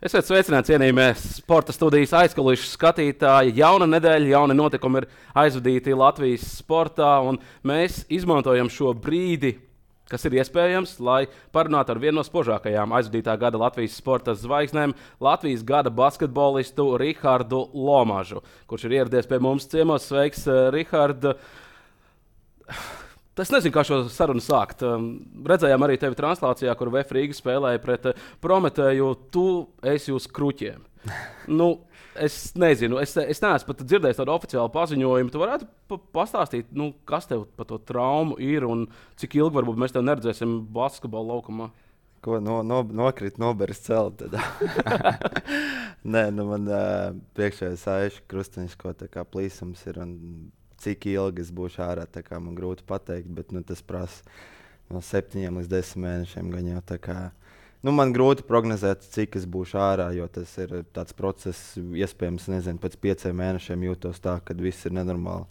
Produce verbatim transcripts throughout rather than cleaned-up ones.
Esiet sveicināti, cienījamie sporta studijas aizkulisku skatītāji. Jauna nedēļa, jauni notikumi ir aizvadīti Latvijas sportā, un mēs izmantojam šo brīdi, kas ir iespējams, lai parunātu ar vienu no spožākajām aizvadītā gada Latvijas sporta zvaigznēm, Latvijas gada basketbolistu Rihardu Lomažu, kurš ir ieradies pie mums ciemos. Sveiks, Rihard! Es nezinu, kā šo sarunu sākt. Um, redzējām arī tevi translācijā, kur V F Rīga spēlēja pret uh, Prometēju. Tu esi uz kruķiem. Nu, es nezinu, es, es neesmu pat dzirdējis tādu oficiālu paziņojumu. Tu varētu pa pastāstīt, nu, kas tev par to traumu ir un cik ilgi varbūt mēs tev neredzēsim basketbola laukumā? Ko no, no, nokrīt, noberis celt. Nē, nu man uh, priekšējais aišu krustiņš, ko tā kā plīsums ir. Un cik ilgi es būšu ārā, tā kā man grūti pateikt, bet nu, tas prasa no septiņiem līdz desmit mēnešiem. Gan jau, tā kā, nu, man grūti prognozēt, cik es būšu ārā, jo tas ir tāds process, iespējams, nezinu, pēc pieciem mēnešiem jūtos tā, kad viss ir nenormāli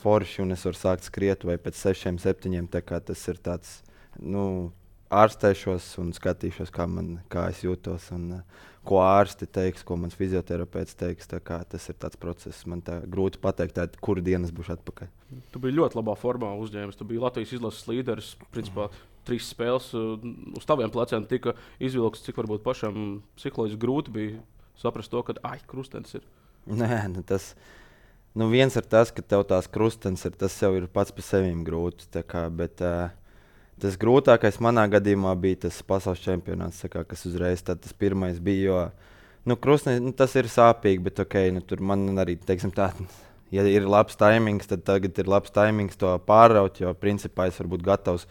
forši un es varu sākt skriet, vai pēc sešiem, septiņiem. Tā kā tas ir tāds, nu, ārstēšos un skatīšos, kā, man, kā es jūtos un uh, ko ārsti teiks, ko mans fizioterapeits teiks. Tā kā tas ir tāds process, man tā grūti pateikt, tā, kuru dienu es būšu atpakaļ. Tu biji ļoti labā formā uzņēmis. Tu biji Latvijas izlases līderis. Principā trīs spēles uh, uz taviem pleciem tika izvilkts, cik varbūt pašam psiholoģiski grūti bija saprast to, ka ai, krustens ir. Nē, nu tas, nu viens ir tas, ka tev tās krustens ir, tas jau ir pats par sevīm grūti. Tā kā, bet, uh, Tas grūtākais manā gadījumā bija tas pasaules čempionāts, kā, kas uzreiz tas pirmais bija. Jo, nu, krustne, nu, tas ir sāpīgi, bet okay, nu, tur man arī, teiksim, tā, ja ir labs taimings, tad tagad ir labs taimings to pāraut, jo principā es varu būt gatavs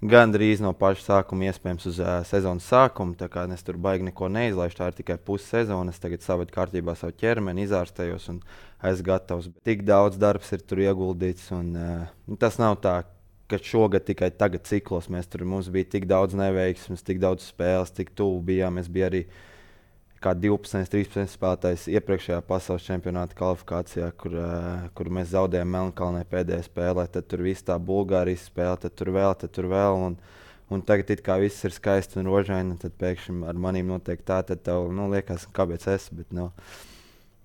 gandrīz no paša sākuma, iespējams, uz uh, sezonas sākumu. Tā kā es tur baigi neko neizlaišu, tā ir tikai pusi sezonas. Tagad saved kārtībā savu ķermeni, izārstējos un esmu gatavs. Bet tik daudz darbs ir tur ieguldīts un uh, tas nav tā, ka šogad tikai tagad ciklos mēs tur, mums bija tik daudz neveiksmes, tik daudz spēles, tik tuvu bijām. Es biju arī kā divpadsmit, trīspadsmit spēlētājs iepriekšējā pasaules čempionāta kvalifikācijā, kur, uh, kur mēs zaudējām Melnkalnē pēdējā spēlē. Tad tur viss tā Bulgārijas spēle, tad tur vēl, tad tur vēl. Un, un tagad it kā viss ir skaisti un rožaini, tad pēkšņi ar manīm notiek tā, tad tev, nu, liekas, kāpēc es, bet, nu,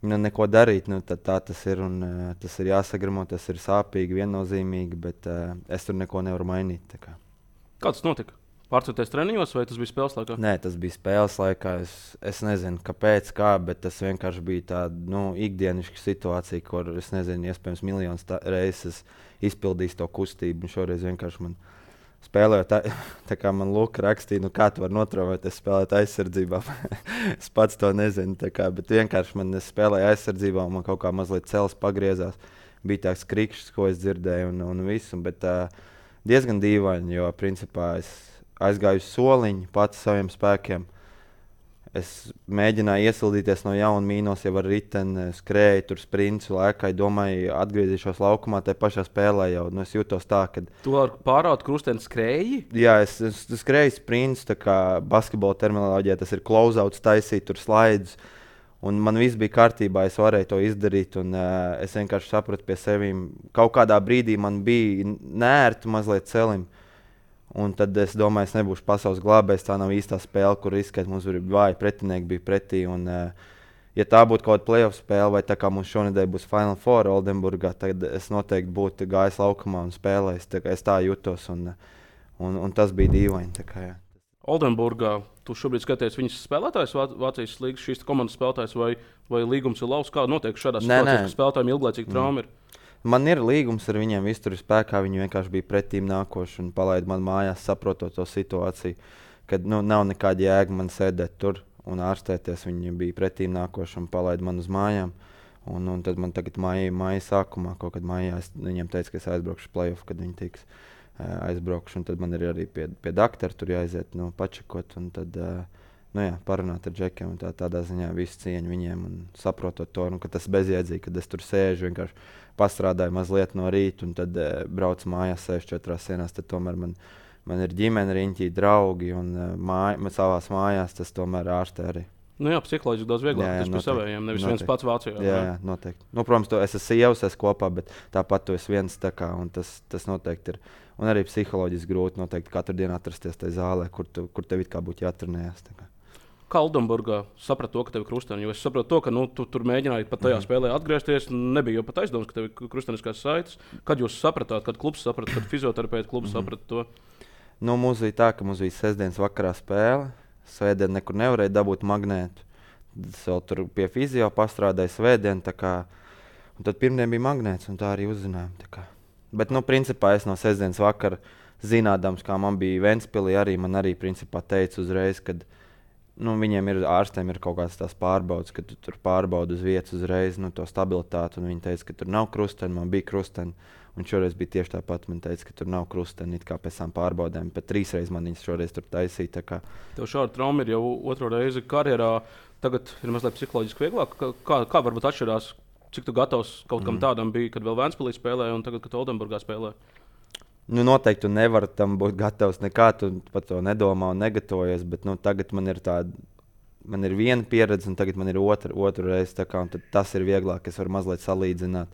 Nu, neko darīt, nu, tā tas ir. Un, uh, tas ir jāsagramo, tas ir sāpīgi, viennozīmīgi, bet uh, es tur neko nevaru mainīt. Kā. Kā tas notika? Pārcēties treniņos vai tas bija spēles laikā? Nē, tas bija spēles laikā. Es, es nezinu, kāpēc, kā, bet tas vienkārši bija tāda nu, ikdienišķa situācija, kur es nezinu, iespējams, miljonus reizes izpildījis to kustību. Šoreiz vienkārši man spēlēju tā, tā kā man Luka rakstīja, nu kā tu vari notraumēties spēlēt aizsardzībā. Es pats to nezinu, tā kā, bet vienkārši man spēlēja aizsardzībā un man kaut kā mazliet cels pagriezās. Bija tāds krikšs, ko es dzirdēju un, un visu, bet uh, diezgan dīvaini, jo principā es aizgāju uz soliņu pats saviem spēkiem. Es mēģināju iesildīties no jauna mīnos, jau ar riteni, skrēju, tur sprintu, lēkāju, domāju, atgriezīšos laukumā, tajā pašā spēlē jau. Nu, es jūtos tā, ka... Tu ar pāraut krusteni skrēji? Jā, es, es skrēju sprints, tā kā basketbola terminoloģijā tas ir close-outs, taisīt tur slaidus. Un man viss bija kārtībā, es varēju to izdarīt, un uh, es vienkārši sapratu pie sevīm. Kaut kādā brīdī man bija nērti mazliet celim. Un tad es domāju, es nebūšu pasaules glābējs. Tā nav īstā spēle, kur izskatās, mums bija vāji pretinieki bija pretī. Un, uh, ja tā būtu kaut kāda playoff spēle, vai tā kā mums šonedēļ būs Final Four Oldenburgā, tad es noteikti būtu gājis laukumā un spēlējis. Tā es tā jutos, un, un, un tas bija dīvaini. Tā kā, jā. Oldenburgā tu šobrīd skaties viņas spēlētājs, Vācijas līgas šīs komandas spēlētājs, vai, vai līgums ir lauks? Kā notiek šādā situācijā, ka spēlētājiem ilglaicīgi trauma ir? Man ir līgums ar viņiem, viss tur ir spēkā. Viņi vienkārši bija pretīm nākoši un palaida man mājās, saprotot to situāciju, kad nu, nav nekāda jēga man sēdēt tur un ārstēties. Viņi bija pretīm nākoši un palaida man uz mājām. Un, un tad man tagad māja, māja sākumā, kaut kad mājā, es viņiem teicu, ka es aizbraukšu playoff, kad viņi tiks uh, aizbraukšu. Un tad man ir arī pie, pie doktora tur jāaiziet, nu, pačekot. Un tad, uh, nu jā, parunāt ar džekiem un tā, tādā ziņā visu cieņu viņiem un saprotot to, nu, ka tas bezjēdzīgi, kad es tur sēžu vienkārši pastrādāju mazliet no rīta un tad uh, braucu mājās sēžu četrās sienās, tad tomēr man, man ir ģimene, riņķī, draugi un uh, māj, savās mājās tas tomēr ārstē arī. Nu jā, psiholoģiski daudz vieglāk, jā, jā, tas pie savējiem, nevis noteikti. Viens pats Vācijā. Jā, jā, noteikti. Nu, protams, to es esmu sievas, es kopā, bet tāpat tu esi viens tā kā, un tas, tas noteikti ir. Un arī psiholoģiski grūti noteikti katru dienu atrasties tajā zālē, kur, tu, kur tev it kā būtu jātrenējas. kā Oldenburgā saprata to, ka tev ir krusteni? Jo es saprotu to, ka nu, tu tur mēģināji pat tajā mm. spēlē atgriezties. Nebija jau pat aizdoms, ka tev ir krusteniskās saites. Kad jūs sapratāt, kad klubs saprata, kad fizioterapeita klubs mm. saprata to? Nu, mums bija tā, ka mums bija sestdienas vakarā spēle. Svētdien nekur nevarēja dabūt magnētu. Es vēl tur pie fizio pastrādāju svētdien. Un tad pirmdien bija magnēts un tā arī uzzinājām. Tā Bet, nu, principā es no sestdienas vakara zinādams, kā man bija Ventspilī, arī man arī principā teica uzreiz, kad nu, viņiem ir ārstiem ir kaut kādas tās pārbaudas, ka tu tur pārbaudi uz vietas uzreiz nu, to stabilitāti. Un viņi teica, ka tur nav krusteni, man bija krusteni. Un šoreiz bija tieši tāpat. Man teica, ka tur nav krusteni, it kā pēc tam pārbaudēm. Pat trīs reizes man viņas šoreiz tur taisīja. Kā... Tev šāda trauma ir jau otro reizi karjerā. Tagad ir mazliet psiholoģiski vieglāk. Kā, kā varbūt atšķirās, cik tu gatavs kaut kam mm. tādam bija, kad vēl Ventspilī spēlēja un tagad, kad Oldenburgā spēlē? Nu, noteikti tu nevari tam būt gatavs nekā, tu par to nedomā un negatavojies, bet nu, tagad man ir tāda, man ir viena pieredze un tagad man ir otra, otra reize, tā kā, un tad tas ir vieglāk, es varu mazliet salīdzināt.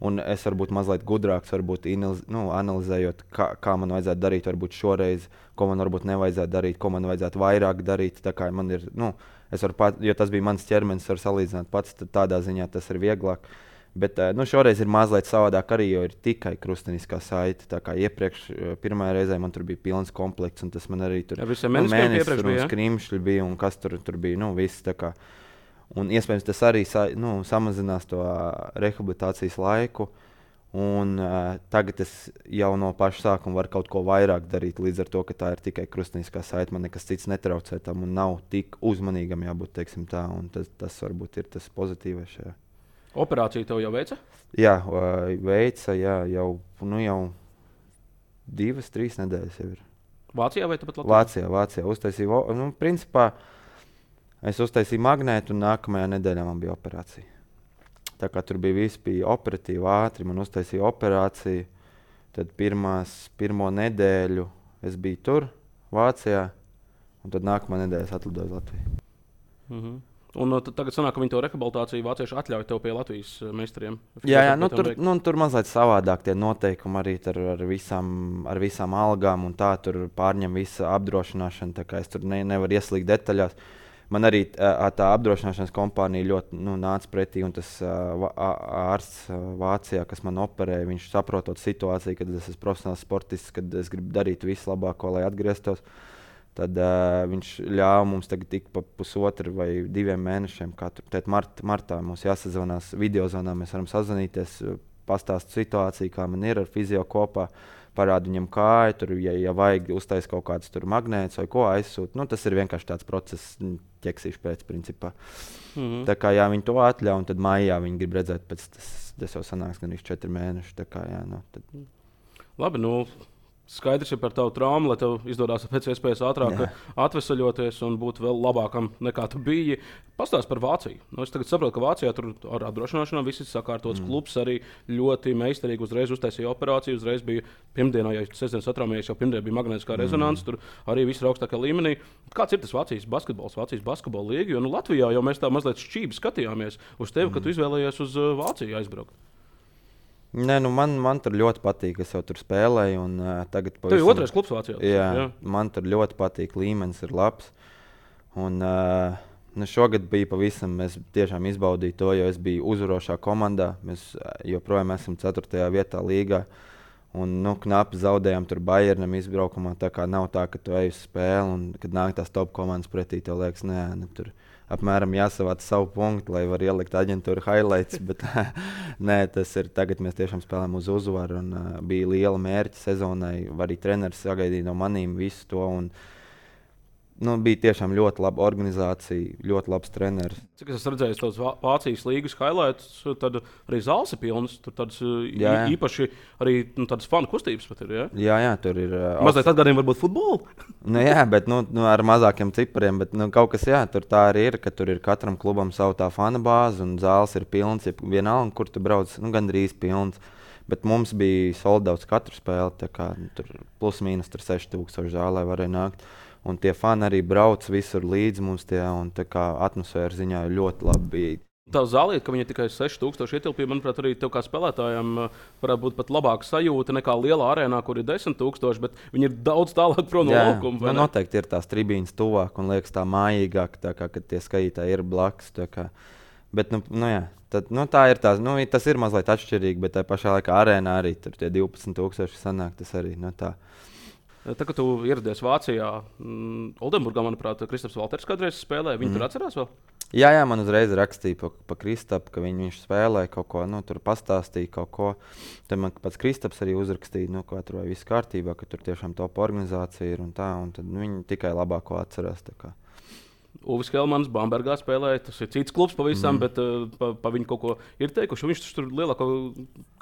Un es varu būt mazliet gudrāks, varbūt inaliz, nu, analizējot, kā, kā man vajadzētu darīt, varbūt šoreiz, ko man varbūt nevajadzētu darīt, ko man vajadzētu vairāk darīt, tā kā man ir, nu, es varu pat, jo tas bija mans ķermenis, varu salīdzināt pats, tad tādā ziņā tas ir vieglāk. Bet nu, šoreiz ir mazliet savādāk arī, jo ir tikai krusteniskā saite. Tā kā iepriekš, pirmajā reizē man tur bija pilns komplekts, un tas man arī tur ja, nu, mēnesis un bija, skrimšļi bija, un kas tur, tur bija, nu, viss tā kā. Un iespējams tas arī sa, nu, samazinās to rehabilitācijas laiku, un uh, tagad es jau no paša sākuma varu kaut ko vairāk darīt, līdz ar to, ka tā ir tikai krusteniskā saite, man nekas cits netraucē tam, un nav tik uzmanīgam jābūt, teiksim tā, un tas, tas varbūt ir tas pozitīvais šajā. Operāciju tev jau veica? Jā, veica, jā, jau, nu, jau divas, trīs nedēļas jau ir. Vācijā vai tāpat Latvijā? Vācijā, Vācijā. Uztaisīju, nu, principā, es uztaisīju magnētu un nākamajā nedēļā man bija operācija. Tā kā tur bija viss, bija operatīvi ātri, man uztaisīja operāciju. Tad pirmās, pirmo nedēļu es biju tur, Vācijā, un tad nākamā nedēļa es atlidoju uz Latviju. Mhm. Un tagad sanāk, ka viņi to rehabilitāciju vācieši atļauj tev pie Latvijas meistariem. Jā, jā nu, tur, nu, tur mazliet savādāk tie noteikumi arī ar, visām, ar visām algām un tā, tur pārņem visa apdrošināšana, tā kā es tur ne, nevaru ieslīgt detaļās. Man arī tā apdrošināšanas kompānija ļoti nu, nāca pretī, un tas ārsts Vācijā, kas man operēja, viņš saprotot situāciju, kad es esmu profesionāls sportists, kad es gribu darīt visu labāko, lai atgrieztos. Tad uh, viņš ļāva mums tagad tik pa pusotru vai diviem mēnešiem. Tad mart, martā mums jāsazvanās videozvanā, mēs varam sazvanīties, pastāst situāciju, kā man ir ar fizio kopā, parādu viņam kāju, tur, ja, ja vajag uztaisīt kaut kādus tur magnētus vai ko aizsūt. Nu, tas ir vienkārši tāds process, ķeksīšu pēc principā. Mm-hmm. Tā kā jā, viņi to atļauj, un tad maijā viņi grib redzēt, pēc tas, tas jau sanāks gan viņš četri mēneši. Tā kā jā, no, tad... Labi, nu... Skaidrs ir par tavu traumu, lai tev izdodas pēc iespējas ātrāk Jā. atvesaļoties un būt vēl labākam nekā tu biji. Pastāst par Vāciju. Nu, es tagad saprotu, ka Vācijā tur ar apdrošināšanu viss ir sakārtots. Mm. Klubs arī ļoti meistarīgi uzreiz uztaisīja operāciju. Uzreiz bija pirmdienā, ja sestdienas atrāmējies, jau pirmdien bija magnētiskā mm. rezonanse. Tur arī viss ir augstākā līmenī. Kāds ir tas Vācijas basketbols, Vācijas basketbola līga? Jo nu, Latvijā jau mēs tā mazliet šķīvi skatījāmies uz tevi, mm. kad tu izvēlējies uz uh, Vāciju aizbraukt. Nē, nu man, man tur ļoti patīk, es jau tur spēlēju. Un, uh, tagad pavisam... Tev ir otrais klubs Vācijā? Jā, jā, man tur ļoti patīk, līmenis ir labs. Un, uh, nu šogad bija pavisam, es tiešām izbaudīju to, jo es biju uzvarošā komandā. Mēs joprojām esam ceturtajā vietā līgā. Un, nu, knapi zaudējām tur Bayernam izbraukumā. Tā kā nav tā, ka tu ej uz spēli un kad nāk tās top komandas pretī, tev liekas, nē, ne, tur apmēram jāsavāc savu punktu, lai var ielikt aģentūru highlights, bet nē, tas ir tagad mēs tiešām spēlējam uz uzvaru un uh, bija liela mērķa sezonai, arī treneris sagaidīja no manīm visu to un nu, bija tiešām ļoti laba organizācija, ļoti labs treneris. Cik es redzēju tos Vācijas līgas highlights, tad arī zāles ir pilnas, tur tādas jā, jā. īpaši arī nu, tādas fanu kustības pat ir, jā? Jā, jā, tur ir... Uh, Mazliet atgādiem varbūt futbolu? Nu jā, bet nu, nu, ar mazākiem cipariem, bet nu, kaut kas jā, tur tā arī ir, ka tur ir katram klubam savu tā fana bāzi un zāles ir pilns, ja vienalga, kur tu brauc, nu gandrīz pilns. Bet mums bija soldauts katru spēli, tā kā nu, tur plus mīnus tur seši tūkstoši zālē varēja nākt. Un tie fani arī brauc visur līdz mums tie, un tā kā atmosfēra ziņā ļoti labi bija. Tā zālīte, ka viņa tikai seši tūkstoši ietilpīja, manuprāt, arī tev kā spēlētājiem varētu būt pat labāka sajūta nekā lielā arēnā, kur ir desmit tūkstoši, bet viņi ir daudz tālāk prom no laukuma. Jā, noteikti ir tās tribīnes tuvāk un liekas tā mājīgāk, tā kā, kad tie skatītāji ir blakus. Bet, nu, nu, jā, tad, nu, tā ir tās, nu, tas ir mazliet atšķirīgi, bet tā pašā laikā arēnā arī tur tie divpadsmit tūkstoši sanāk, tas arī, nu, tā. Tā, kad tu ieradies Vācijā, mm, Oldenburgā, manuprāt, Kristaps Valters kādreiz spēlēja, viņi mm. tur atcerās vēl? Jā, jā, man uzreiz rakstīja pa, pa Kristapu, ka viņ, viņš spēlēja kaut ko, nu, tur pastāstīja kaut ko. Tad man pats Kristaps arī uzrakstīja, nu, ka tur vai viss kārtībā, ka tur tiešām top organizācija ir un tā, un tad nu, viņi tikai labāko atcerās. Uvis Helmans Bambergā spēlēja, tas ir cits klubs pavisam, mm. bet uh, pa, pa viņu kaut ko ir teikuši, viņš tur lielāko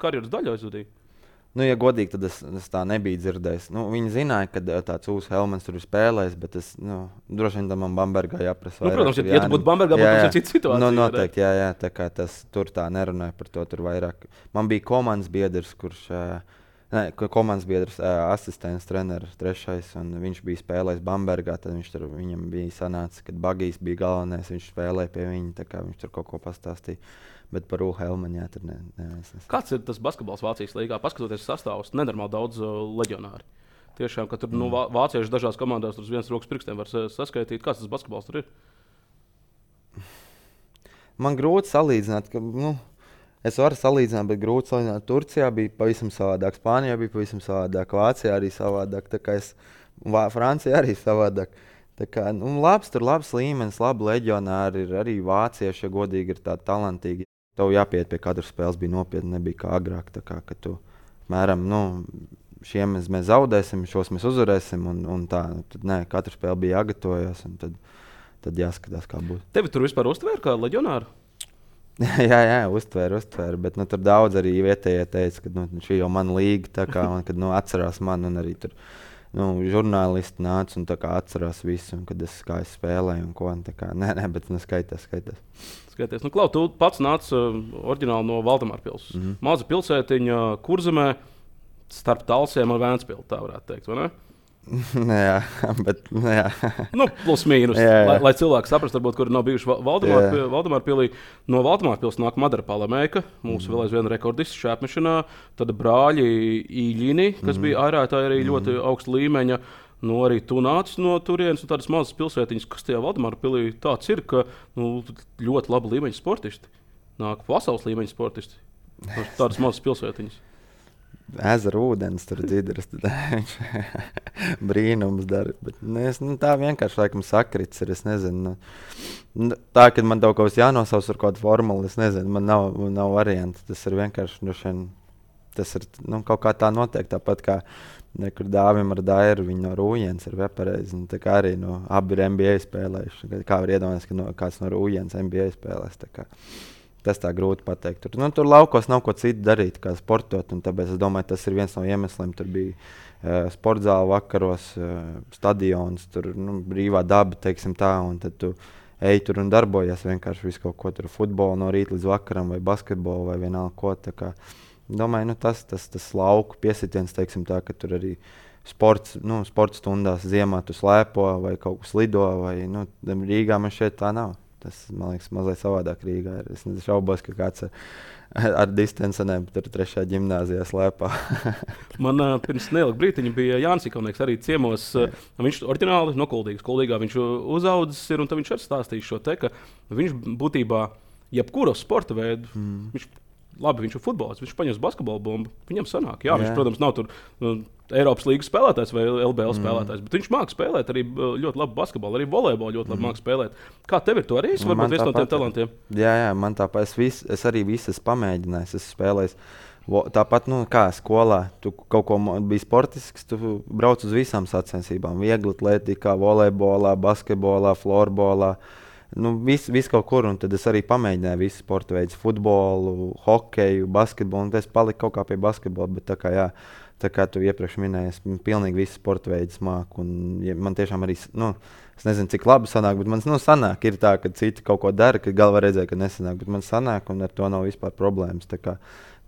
karjeras daļu aizvadīja. Nu, ja godīgi, tad es, es tā nebiju dzirdējis. Nu, viņi zināja, ka tāds Uvis Helmans tur ir spēlējis, bet es, nu, droši vien tam man Bambergā jāprasa. Nu, protams, ja, ja tu būtu Bambergā, būtu tas cita situācija. Nu, noteikti, jā, jā, tā kā tas tur tā nerunāja par to tur vairāk. Man bija komandas biedrs, kurš, ne, komandas biedrs, asistents, treneris, trešais, un viņš bija spēlējis Bambergā, tad viņš tur, viņam bija sanācis, kad Bagijs bija galvenais, viņš spēlēja pie viņa, tā kā viņš tur kaut ko pastāstīja. Bet par Uvi Helmanu, jā, tur ne, ne, es nesaku. Kāds ir tas basketbols Vācijas līgā? Paskatoties sastāvus, nenormāli daudz uh, leģionāri. Tiešām, ka tur mm. nu, vācieši dažās komandās tur uz vienas rokas pirkstiem var saskaitīt. Kāds tas basketbols tur ir? Man grūti salīdzināt, ka, nu, es varu salīdzināt, bet grūti salīdzināt. Turcijā bija pavisam savādāk, Spānijā bija pavisam savādāk, Vācijā arī savādāk, tā kā es, Francijā arī savādāk. Tā kā, nu, labs, tur labs līmenis, labi leģionāri ir arī vācieši, ja godīgi ir tādi talantīgi. Tev jāpiet pie katras spēles bija nopietni, nebija kā agrāk, tā kā, ka tu, mēram, nu, šiem mēs, mēs zaudēsim, šos mēs uzvarēsim, un, un tā, tad, nē, katra spēle bija jāgatavojas, un tad, tad jāskatās, kā būs. Tevi tur vispār uztvēra kā leģionāru? jā, jā, uztvēra, uztvēra, bet, nu, tur daudz arī vietējie teica, ka, nu, šī jau man līga, tā kā, un, kad, nu, atcerās man, un arī tur, nu, žurnālisti nāca un tā kā atcerās visu, un kad es kā es spēlēju un ko, un tā kā, nē, nē, bet, nu, skaitās, skaitās. Skaties, nu, Klau, tu pats nāc uh, oriģināli no Valdemārpils. Mm-hmm. Maza pilsētiņa Kurzemē starp Talsiem un Vēncpili, tā varētu teikt, vai ne? jā, bet, jā. nu, plus mīnus, jā, jā. Lai, lai cilvēki saprast, varbūt, kuri nav bijuši Valdemārpilī. Valdemārpilī no Valdemārpils nāk Madara Palamēka, mūsu mm. vēl aizvien rekordists šāpmešanā, tad brāļi Īļini, kas mm. bija ārētāji arī mm. ļoti augsta līmeņa. Nu, arī tu nāc no turienes un tādas mazas pilsētiņas, kas tajā Valdemārpilī tāds ir, ka nu, ļoti labi līmeņa sportisti. Nāk pasaules līmeņa sportisti. Tādas mazas pilsētiņas. Ezera ūdens tur dzidras, tad viņš brīnums dara. Bet, nu, es, nu, tā vienkārši laikam sakrits ir, es nezinu. Nu, tā, kad man kaut kas jānosaus ar kādu formulu, es nezinu, man nav, nav varianti. Tas ir vienkārši, nu, šeit, tas ir nu, kaut kā tā notiek, tāpat kā nekur Dāvim ar Dairu, viņi no Rūjens ir vepareizi. Tā kā arī no, abi ir N B A spēlējuši. Kā var iedomāties, ka no, kāds no Rūjens N B A spēlēs. Tā kā. Tas tā grūti pateikt. Tur, nu, tur laukos nav ko citu darīt, kā sportot. Tāpēc es domāju, tas ir viens no iemesliem. Tur bija uh, sportzāle vakaros, uh, stadions, tur nu, brīvā daba, teiksim tā. Un tad tu ej tur un darbojies vienkārši visu kaut ko tur futbolu no rīta līdz vakaram vai basketbolu vai vienalga ko. Tā kā, domāju, nu, tas, tas, tas lauku piesitiens, teiksim tā, ka tur arī sports, nu, sports stundās ziemā tu slēpo vai kaut kas lido. Vai, nu, Rīgā man šeit tā nav. Tas, man liekas, mazliet savādāk Rīgā ir. Es šaubos, ka kāds ar, ar distancenēm tur trešajā ģimnāzijā slēpā. Man uh, pirms neilga brītiņa bija Jānis Ikaunieks arī ciemos. Uh, viņš oriģināli no Kuldīgas. Kuldīgā viņš uzaudzis ir, un tad viņš arī stāstīja šo te, ka viņš būtībā jebkuru sporta veidu, mm. viņš, labi, viņš ir futbolists, viņš paņems basketbolu bumbu, viņam sanāk. Jā, jā. Viņš, protams, nav tur uh, Eiropas līgas spēlētājs vai L B L mm. spēlētājs, bet viņš māca spēlēt arī ļoti labi basketbolu, arī volejbolu ļoti labi mm. māca spēlēt. Kā tev ir to arī? Es varbūt viens no tiem talantiem. Jā, jā, man tāpat, es, vis, es arī visu esmu pamēģinājis, es spēlēju. Tāpat, nu, kā skolā, tu kaut ko biji sportisks, tu brauc uz visām sacensībām. Viegli atletikā, volejbolā, basketbolā, florbolā. Nu, viss vis kaut kur, un tad es arī pamēģināju visu sporta veidus, futbolu, hokeju, basketbolu, un es paliku kaut kā pie basketbola, bet tā kā, jā, tā kā tu iepriekš minēji, es pilnīgi visu sporta veidus māku, un ja, man tiešām arī, nu, es nezinu, cik labi sanāk, bet man, nu, sanāk, ir tā, ka citi kaut ko dara, ka galvā redzēja, ka nesanāk, bet man sanāk, un ar to nav vispār problēmas, tā kā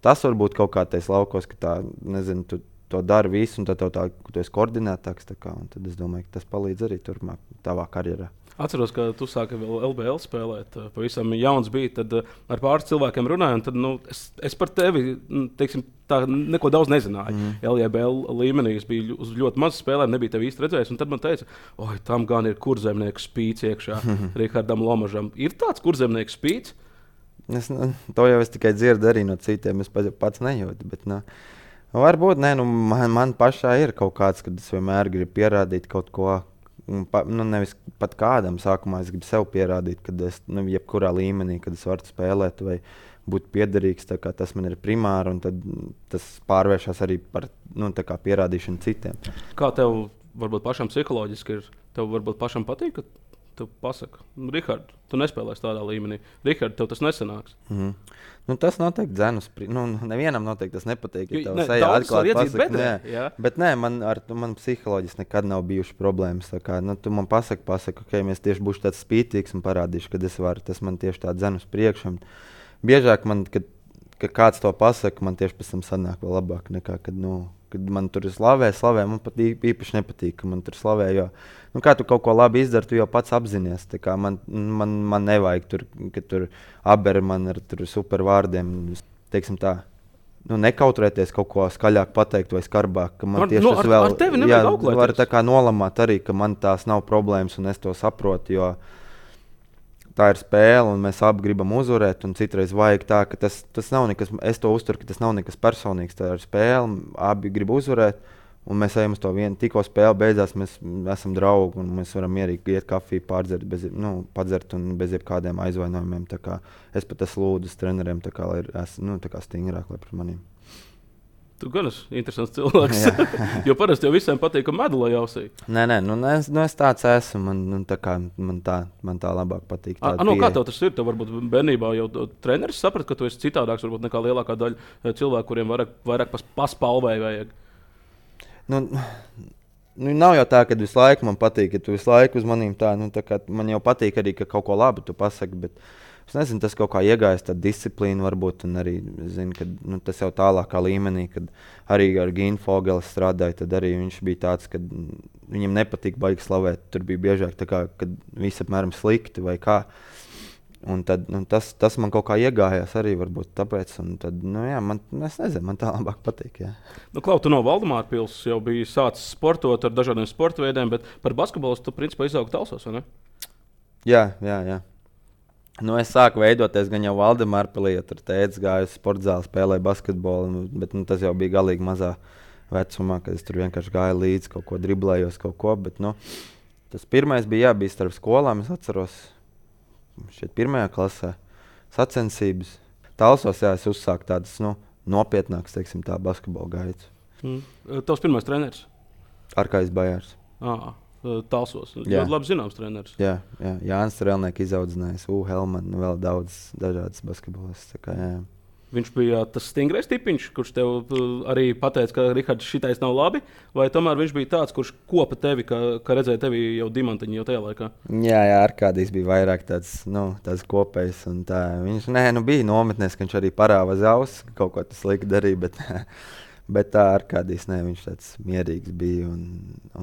tas var būt kaut kā tais laukos, ka tā, nezinu, tu to dari visu, un tad tev tā, tu esi koordinētāks, tā kā, un tad es domāju, ka tas palīdz arī turpmāk tavā karjerā. Atceros, ka tu sāki vēl L B L spēlēt. Pavisam jauns bija. Tad ar pāris cilvēkiem runāju. Tad, nu, es, es par tevi teiksim, tā, neko daudz nezināju. Mm. L B L līmenī es biju uz ļoti maz spēlēm, nebija tevi īsti redzējis. Tad man teica, oi, tam gan ir kurzemnieku spīts iekšā Rihardam Lomažam. Ir tāds kurzemnieku spīts? Es, nu, to jau es tikai dzirdu arī no citiem. Es pats nejūtu. Bet, nu, varbūt ne, nu, man, man pašā ir kaut kāds, kad es vienmēr gribu pierādīt kaut ko. Pa, nu, nevis pat kādam sākumā es gribu sev pierādīt, ka es nu, jebkurā līmenī, kad es varu spēlēt vai būt piederīgs, tas man ir primāri, un tad tas pārvēršas arī par nu, pierādīšanu citiem. Kā tev varbūt pašam psiholoģiski ir? Tev varbūt pašam patīk, ka tu pasaki, Rihard, tu nespēlēsi tādā līmenī. Rihard, tev tas nesanāks. Mm-hmm. Nu, tas noteikti dzenus. Nu, nevienam noteikti tas nepatīk. Ja ne, daudz var iedzīt bedrē. Nē, bet nē, man, ar, man psiholoģiski nekad nav bijušas problēmas. Tā kā, nu, tu man pasaki, pasaki, ok, mēs tieši būšu tāds spītīgs un parādīšu, kad es varu. Tas man tieši tā dzenus priekšam. Biežāk man, kad, kad kāds to pasaka, man tieši pēc tam sanāk vēl labāk nekā, kad, nu, kad man tur ir slavē, slavē. Man pat īpaši nepatīk, ka man tur slavē, jo, nu, kā tu kaut ko labi izdari, tu jau pats apzinies. Tā kā man, man, man nevajag tur, ka tur aber man ar tur super vārdiem, teiksim tā, nu, nekautrēties kaut ko skaļāk pateikt vai skarbāk. Ka man ar, tieši no, tas ar, vēl, ar tevi nevajag auklēties. Var tā kā nolamāt arī, ka man tās nav problēmas un es to saprotu, jo tā ir spēle, un mēs abi gribam uzvarēt. Citreiz vajag tā, ka tas, tas nav nekas, es to uzturu, ka tas nav nekas personīgs. Tā ir spēle, abi grib uzvarēt, un mēs ejam uz to vienu. Tikko spēle beidzās, mēs esam draugi, un mēs varam mierīgi iet kafiju, pārdzert, bez, nu, padzert un bez jebkādiem aizvainojumiem. Tā kā es pat esmu lūdzis treneriem, tā kā, lai es nu, tā kā stingrāk, lai pret maniem. Tu gan esi interesants cilvēks. Jo parasti jau visiem patīk, ka medulē jausī. Nē, nē, nu, es, nu, es tāds esmu. Man, nu, tā kā, man, tā, man tā labāk patīk. A, no, kā tev tas ir? Tev varbūt bērnībā jau treneris saprat, ka tu esi citādāks varbūt nekā lielākā daļa cilvēku, kuriem vairāk, vairāk pas, paspalvēja vajag. Nu, nu, nav jau tā, ka visu laiku man patīk, ja tu visu laiku uz manīm tā. Nu, tā kā, man jau patīk arī, ka kaut ko labu tu pasaki. Bet es nezinu, tas kaut kā iegājas tāda disciplīna varbūt, un arī zinu, ka nu, tas jau tālākā līmenī, kad arī ar Gīnu Fogeli strādāju, tad arī viņš bija tāds, ka viņam nepatīk baigi slavēt. Tur bija biežāk tā kā, kad visi apmēram slikti vai kā. Un tad nu, tas, tas man kaut kā iegājās arī varbūt tāpēc, un tad, nu jā, man, es nezinu, man tā labāk patīk, jā. Nu, Klau, tu no Valdemāra pils jau biji sācis sportot ar dažādiem sporta veidiem, bet par basketbolu tu principā izaugi Talsos, vai ne? Jā, jā, jā. Nu, es sāku veidoties gan jau Valdemāra pilī, ja tur tētis gāja uz sporta zāli, spēlēja basketbolu, bet nu, tas jau bija galīgi mazā vecumā, kad es tur vienkārši gāju līdzi, kaut ko driblējos, kaut ko. Bet, nu, tas pirmais bija, jā, bija starp skolām, es atceros, šeit pirmajā klasē, sacensības. Talsos, jā, es uzsāku tādas nu, nopietnākas, teiksim, tā basketbola gaitas. Mm. Tavs pirmais treneris? Arkājs Bajārs. Ah. Talsos. Ļoti labi zināms treneris. Jā, jā. Jānis Strelnieks izaudzinājis, U. Helman, vēl daudz dažādas basketbolistas. Viņš bija tas stingrais tipiņš, kurš tev arī pateica, ka Rihards šitais nav labi, vai tomēr viņš bija tāds, kurš kopa tevi, ka, ka redzēja tevi jau dimantiņu jau tajā laikā? Jā, jā, Arkādijs bija vairāk tāds, nu, tāds kopējs. Un tā. Viņš nē, nu, bija nometnēs, ka viņš arī parāva zaus, kaut ko tas lika darīja, bet, bet tā Arkādijs, nē, viņš tāds mierīgs bija un,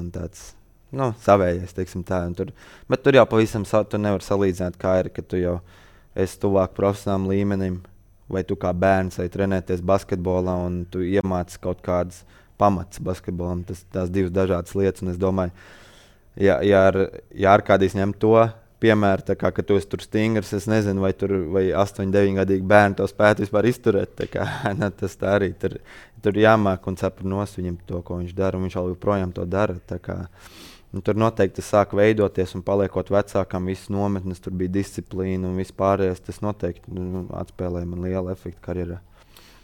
un tāds. Nu, savējais, teiksim tā. Tur, bet tur jau pavisam tu nevar salīdzināt, kā ir, ka tu jau esi tuvāk profesionālam līmenim, vai tu kā bērns vai trenēties basketbolā un tu iemāci kaut kādas pamats basketbolam. Tas tās divas dažādas lietas, un es domāju, ja, ja, ar, ja Arkādijs ņem to piemēru, tā kā, ka tu esi tur stingrs, es nezinu, vai tur vai astoņu, deviņu gadīgi bērni to spētu vispār izturēt. Tā kā, ne, tas tā arī tur, tur jāmāk un saprast nost viņam to, ko viņš dara, un viņš vēl joprojām to dara. Tā kā, un tur noteikti tas sāk veidoties, un paliekot vecākam, visas nometnes, tur bija disciplīna un viss pārējais. Tas noteikti nu, atspēlēja man lielu efektu karjerā.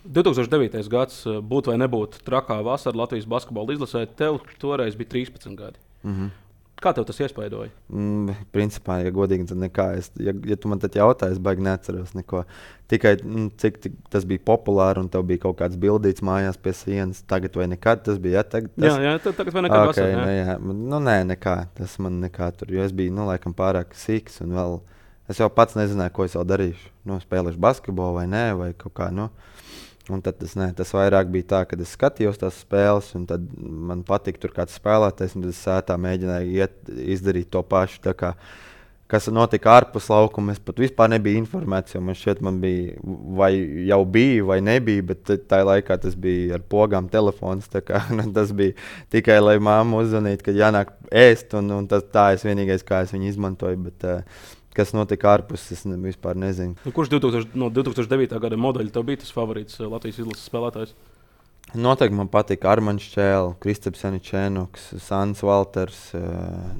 divi tūkstoši devītais gads, būt vai nebūt trakā vasara Latvijas basketbola izlasē, tev toreiz bija trīspadsmit gadi. Mm-hmm. Kā tev tas iespaidoja? Mm, principā, ja godīgi, tad nekā. Es, ja, ja tu man tad jautā, es baigi neatceros neko. Tikai mm, cik, cik tas bija populāri un tev bija kaut kāds bildīts mājās pie sienas. Tagad vai nekad tas bija? Ja, tagad, tas... Jā, jā, tagad vai nekad okay, vasarā. Ne, jā. Nu, nē, nekā. Tas man nekā tur. Jo es biju, nu, laikam pārāk sīks un vēl... Es jau pats nezināju, ko es vēl darīšu. Nu, spēlēšu basketbolu vai nē, vai kaut kā, nu... Un tad tas, ne, tas vairāk bija tā, kad es skatījos tās spēles, un tad man patika tur kāds spēlētājs, un tad es sētā mēģināju iet, izdarīt to pašu. Tā kā kas notika ārpus laukuma. Es pat vispār nebiju informēts, jo man šķiet, man bija, vai jau bija, vai nebija, bet tajā laikā tas bija ar pogām telefons. Kā, nu, tas bija tikai, lai māmu uzzvanītu, kad jānāk ēst, un, un tas, tā es vienīgais, kā es viņu izmantoju. Bet, uh, kas notika ārpus, es ne, vispār nezinu. Nu, kurš divtūkstoš, no divi tūkstoši devītā gada modeļa tev bija tas favorīts Latvijas izlases spēlētājs? Noteikti man patīk Armāns Čēlis, Kristaps Janičēnoks, Sants Valters.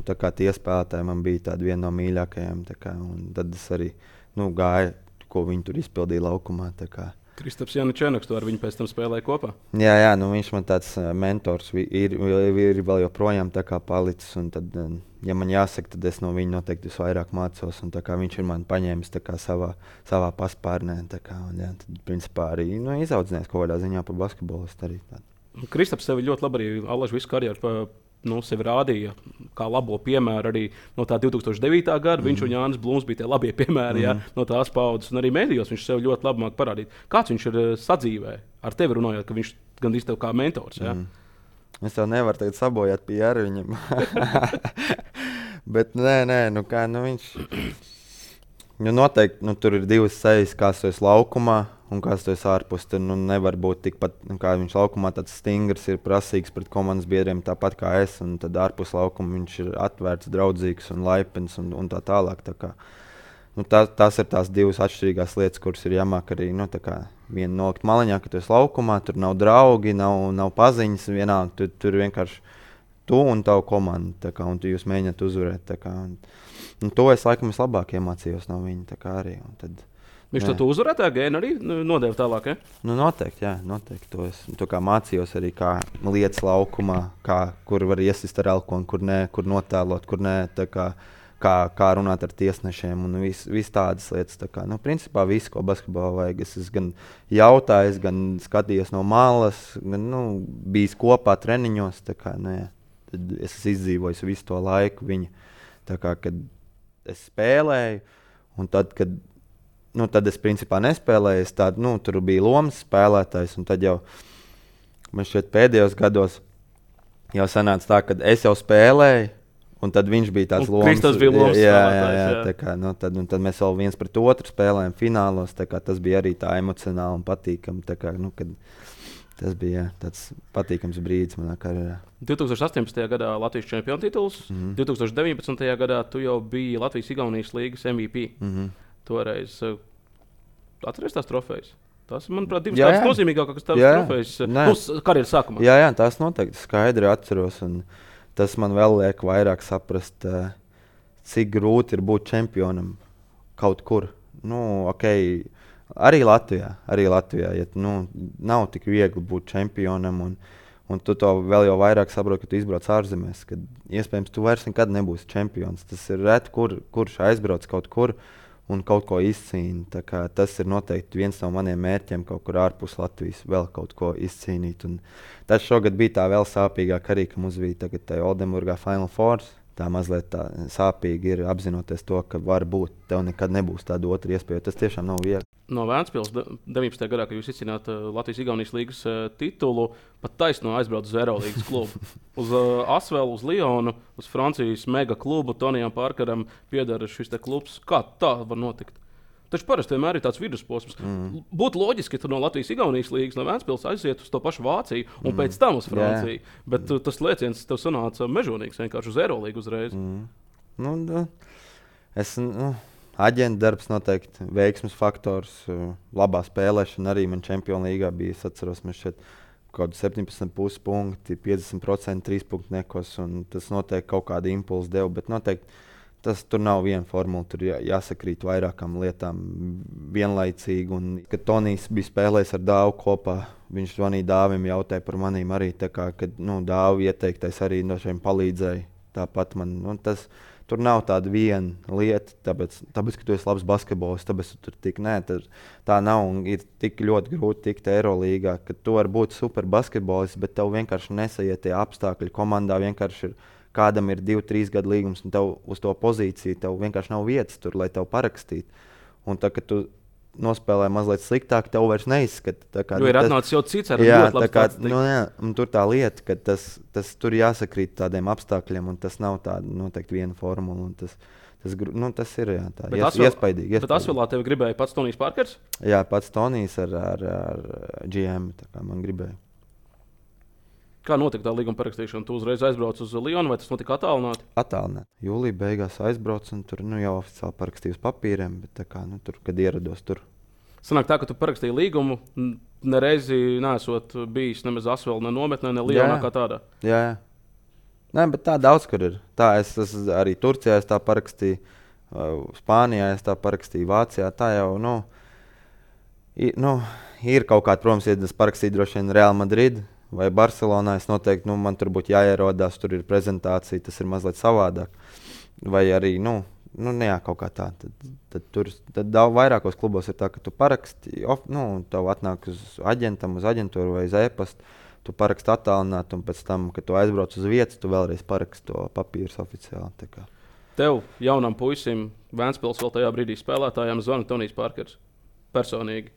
Tā kā tie spēlētāji man bija tādi vieni no mīļākajiem. Kā, tad es arī nu, gāju, ko viņi tur izpildīja laukumā. Kristaps Janičēnoks, tu ar viņu pēc tam spēlēji kopā? Jā, jā nu, viņš man tāds mentors ir, ir, ir vēl joprojām palicis. Tad, ja man jāsaka, tad es no viņa noteikti visvairāk mācos. Un, kā, viņš ir man paņēmis kā, savā, savā paspārnē. Kā, un, jā, tad, principā, arī nu, izaudzinājies kaut kādā ziņā par basketbolistu. Kristaps sevi ļoti labi arī Alažu visu karjeru pa, nu, sevi rādīja kā labo piemēru arī no tā divi tūkstoši devītā gada. Mm. Viņš un Jānis Blūms bija tie labie piemēri mm. jā, no tās paudzes. Un arī mēdījos viņš sev ļoti labi māk parādīt. Kāds viņš ir sadzīvē ar tevi runājot, ka viņš gandrīz tev kā mentors? Jā? Mm. Es tev nevaru tagad sabojāt pie ar viņam. Bet nē, nē, nu kā, nu viņš... Nu noteikti, nu tur ir divas sejas, kāds tu esi laukumā un kāds tu esi ārpus. Tur nu, nevar būt tikpat, nu, kā viņš laukumā tāds stingrs, ir prasīgs pret komandas biedriem tāpat kā es. Un tad ārpus laukuma viņš ir atvērts, draudzīgs un laipns un, un tā tālāk. Tā kā, nu, tā, tās ir tās divas atšķirīgās lietas, kuras ir jāmāk arī, nu tā kā viena nolikt maliņā, ka tu esi laukumā, tur nav draugi, nav, nav paziņas vienalga, tu, tur vienkārši tu un tavu komandu, tā kā, un tu jūs mēģināt uzvarēt, tā kā, un, un to es laikam vislabāk iemācījos no viņa, tā kā arī, un tad, viņš to uzvarētāju gēnu arī nodeva tālāk, ja? Nu noteikti, jā, noteikti, to es to kā mācījos arī kā lietas laukumā, kā, kur var iesist ar alkoholu, kur nē, kur notēlot, kur nē, tā kā, kā, kā runāt ar tiesnešiem un vis, vis tādas lietas. Tā kā, nu, principā viss, ko basketbolā vajag, es esmu gan jautājis, gan skatījies no malas, gan nu, bijis kopā treniņos. Tā kā, nu, jā, tad es esmu izdzīvojis visu to laiku viņa. Tā kā, kad es spēlēju, un tad, kad nu, tad es principā nespēlēju, es tād, nu, tur bija lomas spēlētājs, un tad jau man šķiet pēdējos gados jau sanāca tā, ka es jau spēlēju, un tad viņš bija tāds lomas. Kristus bija lomas jā, spēlētājs. Jā, jā, jā. Tā kā, nu, tad, tad mēs vēl viens pret otru spēlējām finālos, tā kā tas bija arī tā emocionāli un patīkami. Tā kā, nu, kad tas bija jā, tāds patīkams brīdis manā karjerā. divi tūkstoši astoņpadsmitajā gadā Latvijas čempionu tituls, mm-hmm. divi tūkstoši deviņpadsmitajā gadā tu jau biji Latvijas-Igaunijas līgas M V P. Mm-hmm. Toreiz uh, atceries tās trofejas? Tas, manuprāt, divas tādas nozīmīgākas trofejas nu, karjeras sākumā. Jā, jā, tās noteikti skaidri atceros. Un tas man vēl liek vairāk saprast, uh, cik grūti ir būt čempionam kaut kur. Nu, okay, arī Latvijā, arī Latvijā ja, nu, nav tik viegli būt čempionam. Un, un tu to vēl jau vairāk saproti, ka tu izbrauc ārzemēs. Kad iespējams tu vairs nekad nebūsi čempions. Tas ir reti, kur, kurš aizbrauc kaut kur un kaut ko izcīnīt. Tas ir noteikti viens no maniem mērķiem kaut kur ārpus Latvijas, vēl kaut ko izcīnīt. Un tas šogad bija tā vēl sāpīgāk arī, ka mums bija tagad tā Oldenburgā Final Four. Tā mazliet tā sāpīgi ir apzinoties to, ka var būt, tev nekad nebūs tāda otra iespēja. Tas tiešām nav viegli. No Vēncpils deviņpadsmitajā gadā, kad jūs izcīnījāt uh, Latvijas-Igaunijas līgas uh, titulu, pat taisno aizbraukt uz Eirolīgas klubu. Uz uh, Asvelu, uz Lionu, uz Francijas mega klubu, Tonijam Parkeram pieder šis te klubs. Kā tā var notikt? Taču parasti vienmēr ir tāds vidusposms. Mm. Būtu loģiski, ka tu no Latvijas-Igaunijas līgas, no Vēncpils aiziet uz to pašu Vāciju un mm. pēc tam uz Franciju. Yeah. Bet mm. tas lēciens tev sanāca mežonīgs, vienkārši uz Eirolīgu uzreiz. Mm. Nu, da, es, nu, aģenta darbs noteikti, veiksmes faktors, labā spēlēšana arī man Čempionu līgā bija. Es atceros, mēs šeit kaut kādi septiņpadsmit pusi punkti, piecdesmit procenti trīspunktniekos, un tas noteikti kaut kādu impulsu deva, bet noteikti tas tur nav viena formula, tur jā, jāsakrīt vairākām lietām vienlaicīgi. Un, kad Tonijs bija spēlējis ar Dāvu kopā, viņš zvanīja Dāvim, jautāja par manīm arī. Tā kā, kad nu, Dāvu ieteiktais arī no šiem palīdzēja. Tāpat man, nu, tas, tur nav tāda viena lieta, tāpēc, tāpēc ka tu esi labs basketbolists, tāpēc tu tur tik, nē, tā, tā nav un ir tik ļoti grūti tikt Eirolīgā, ka tu vari būt super basketbolists, bet tev vienkārši nesaiet tie apstākļi komandā, vienkārši ir kādam ir divi, trīs gadu līgums, un tev uz to pozīciju tev vienkārši nav vietas tur, lai tev parakstītu. Un tā, kad tu nospēlē mazliet sliktāk, tev vairs neizskata. Jo ir atnācis jau cits ar jā, ļoti labs kā, tāds. Nu, jā, un tur tā lieta, ka tas, tas tur jāsakrīt tādiem apstākļiem, un tas nav tāda noteikti viena formula. Un tas, Tas, nu, tas ir jā, tā Bet ies, Asvel, iespaidīgi. Bet Asvelā tevi gribēja pats Tonijs Parkers? Jā, pats Tonijs ar, ar, ar G M. Tā kā man gribēja. Kā notika tā līguma parakstīšana? Tu uzreiz aizbrauc uz Lionu vai tas notika attālināti? Attālināti. Jūlijā beigās aizbraucu un tur nu, jau oficiāli parakstīju uz papīriem, bet tā kā, nu, tur, kad ierados tur. Sanāk tā, ka tu parakstīji līgumu, nereizi neesot bijis nemaz Asvelā, ne nometnē, ne Lionā kā tādā. Jā, jā. Nē, bet tā daudz kur ir. Tā es, es arī Turcijā es tā parakstīju, Spānijā es tā parakstīju, Vācijā. Tā jau nu, ir, nu, ir kaut kāda, protams, ja es parakstīju droši vien Real Madrid vai Barcelonā, es noteikti, nu, man tur būtu jāierodās, tur ir prezentācija, tas ir mazliet savādāk. Vai arī, nu, nu jā, kaut kā tā. Tad, tad tur tad daudz vairākos klubos ir tā, ka tu paraksti, of, nu, tev atnāk uz aģentam, uz aģentūru vai uz e-pastu. Tu paraksti attālināt, un pēc tam, kad tu aizbrauc uz vietas, tu vēlreiz paraksti to papīru oficiāli. Tev, jaunam puisim, Vēnspils vēl tajā brīdī spēlētājiem zvana Tonijs Parkers. Personīgi.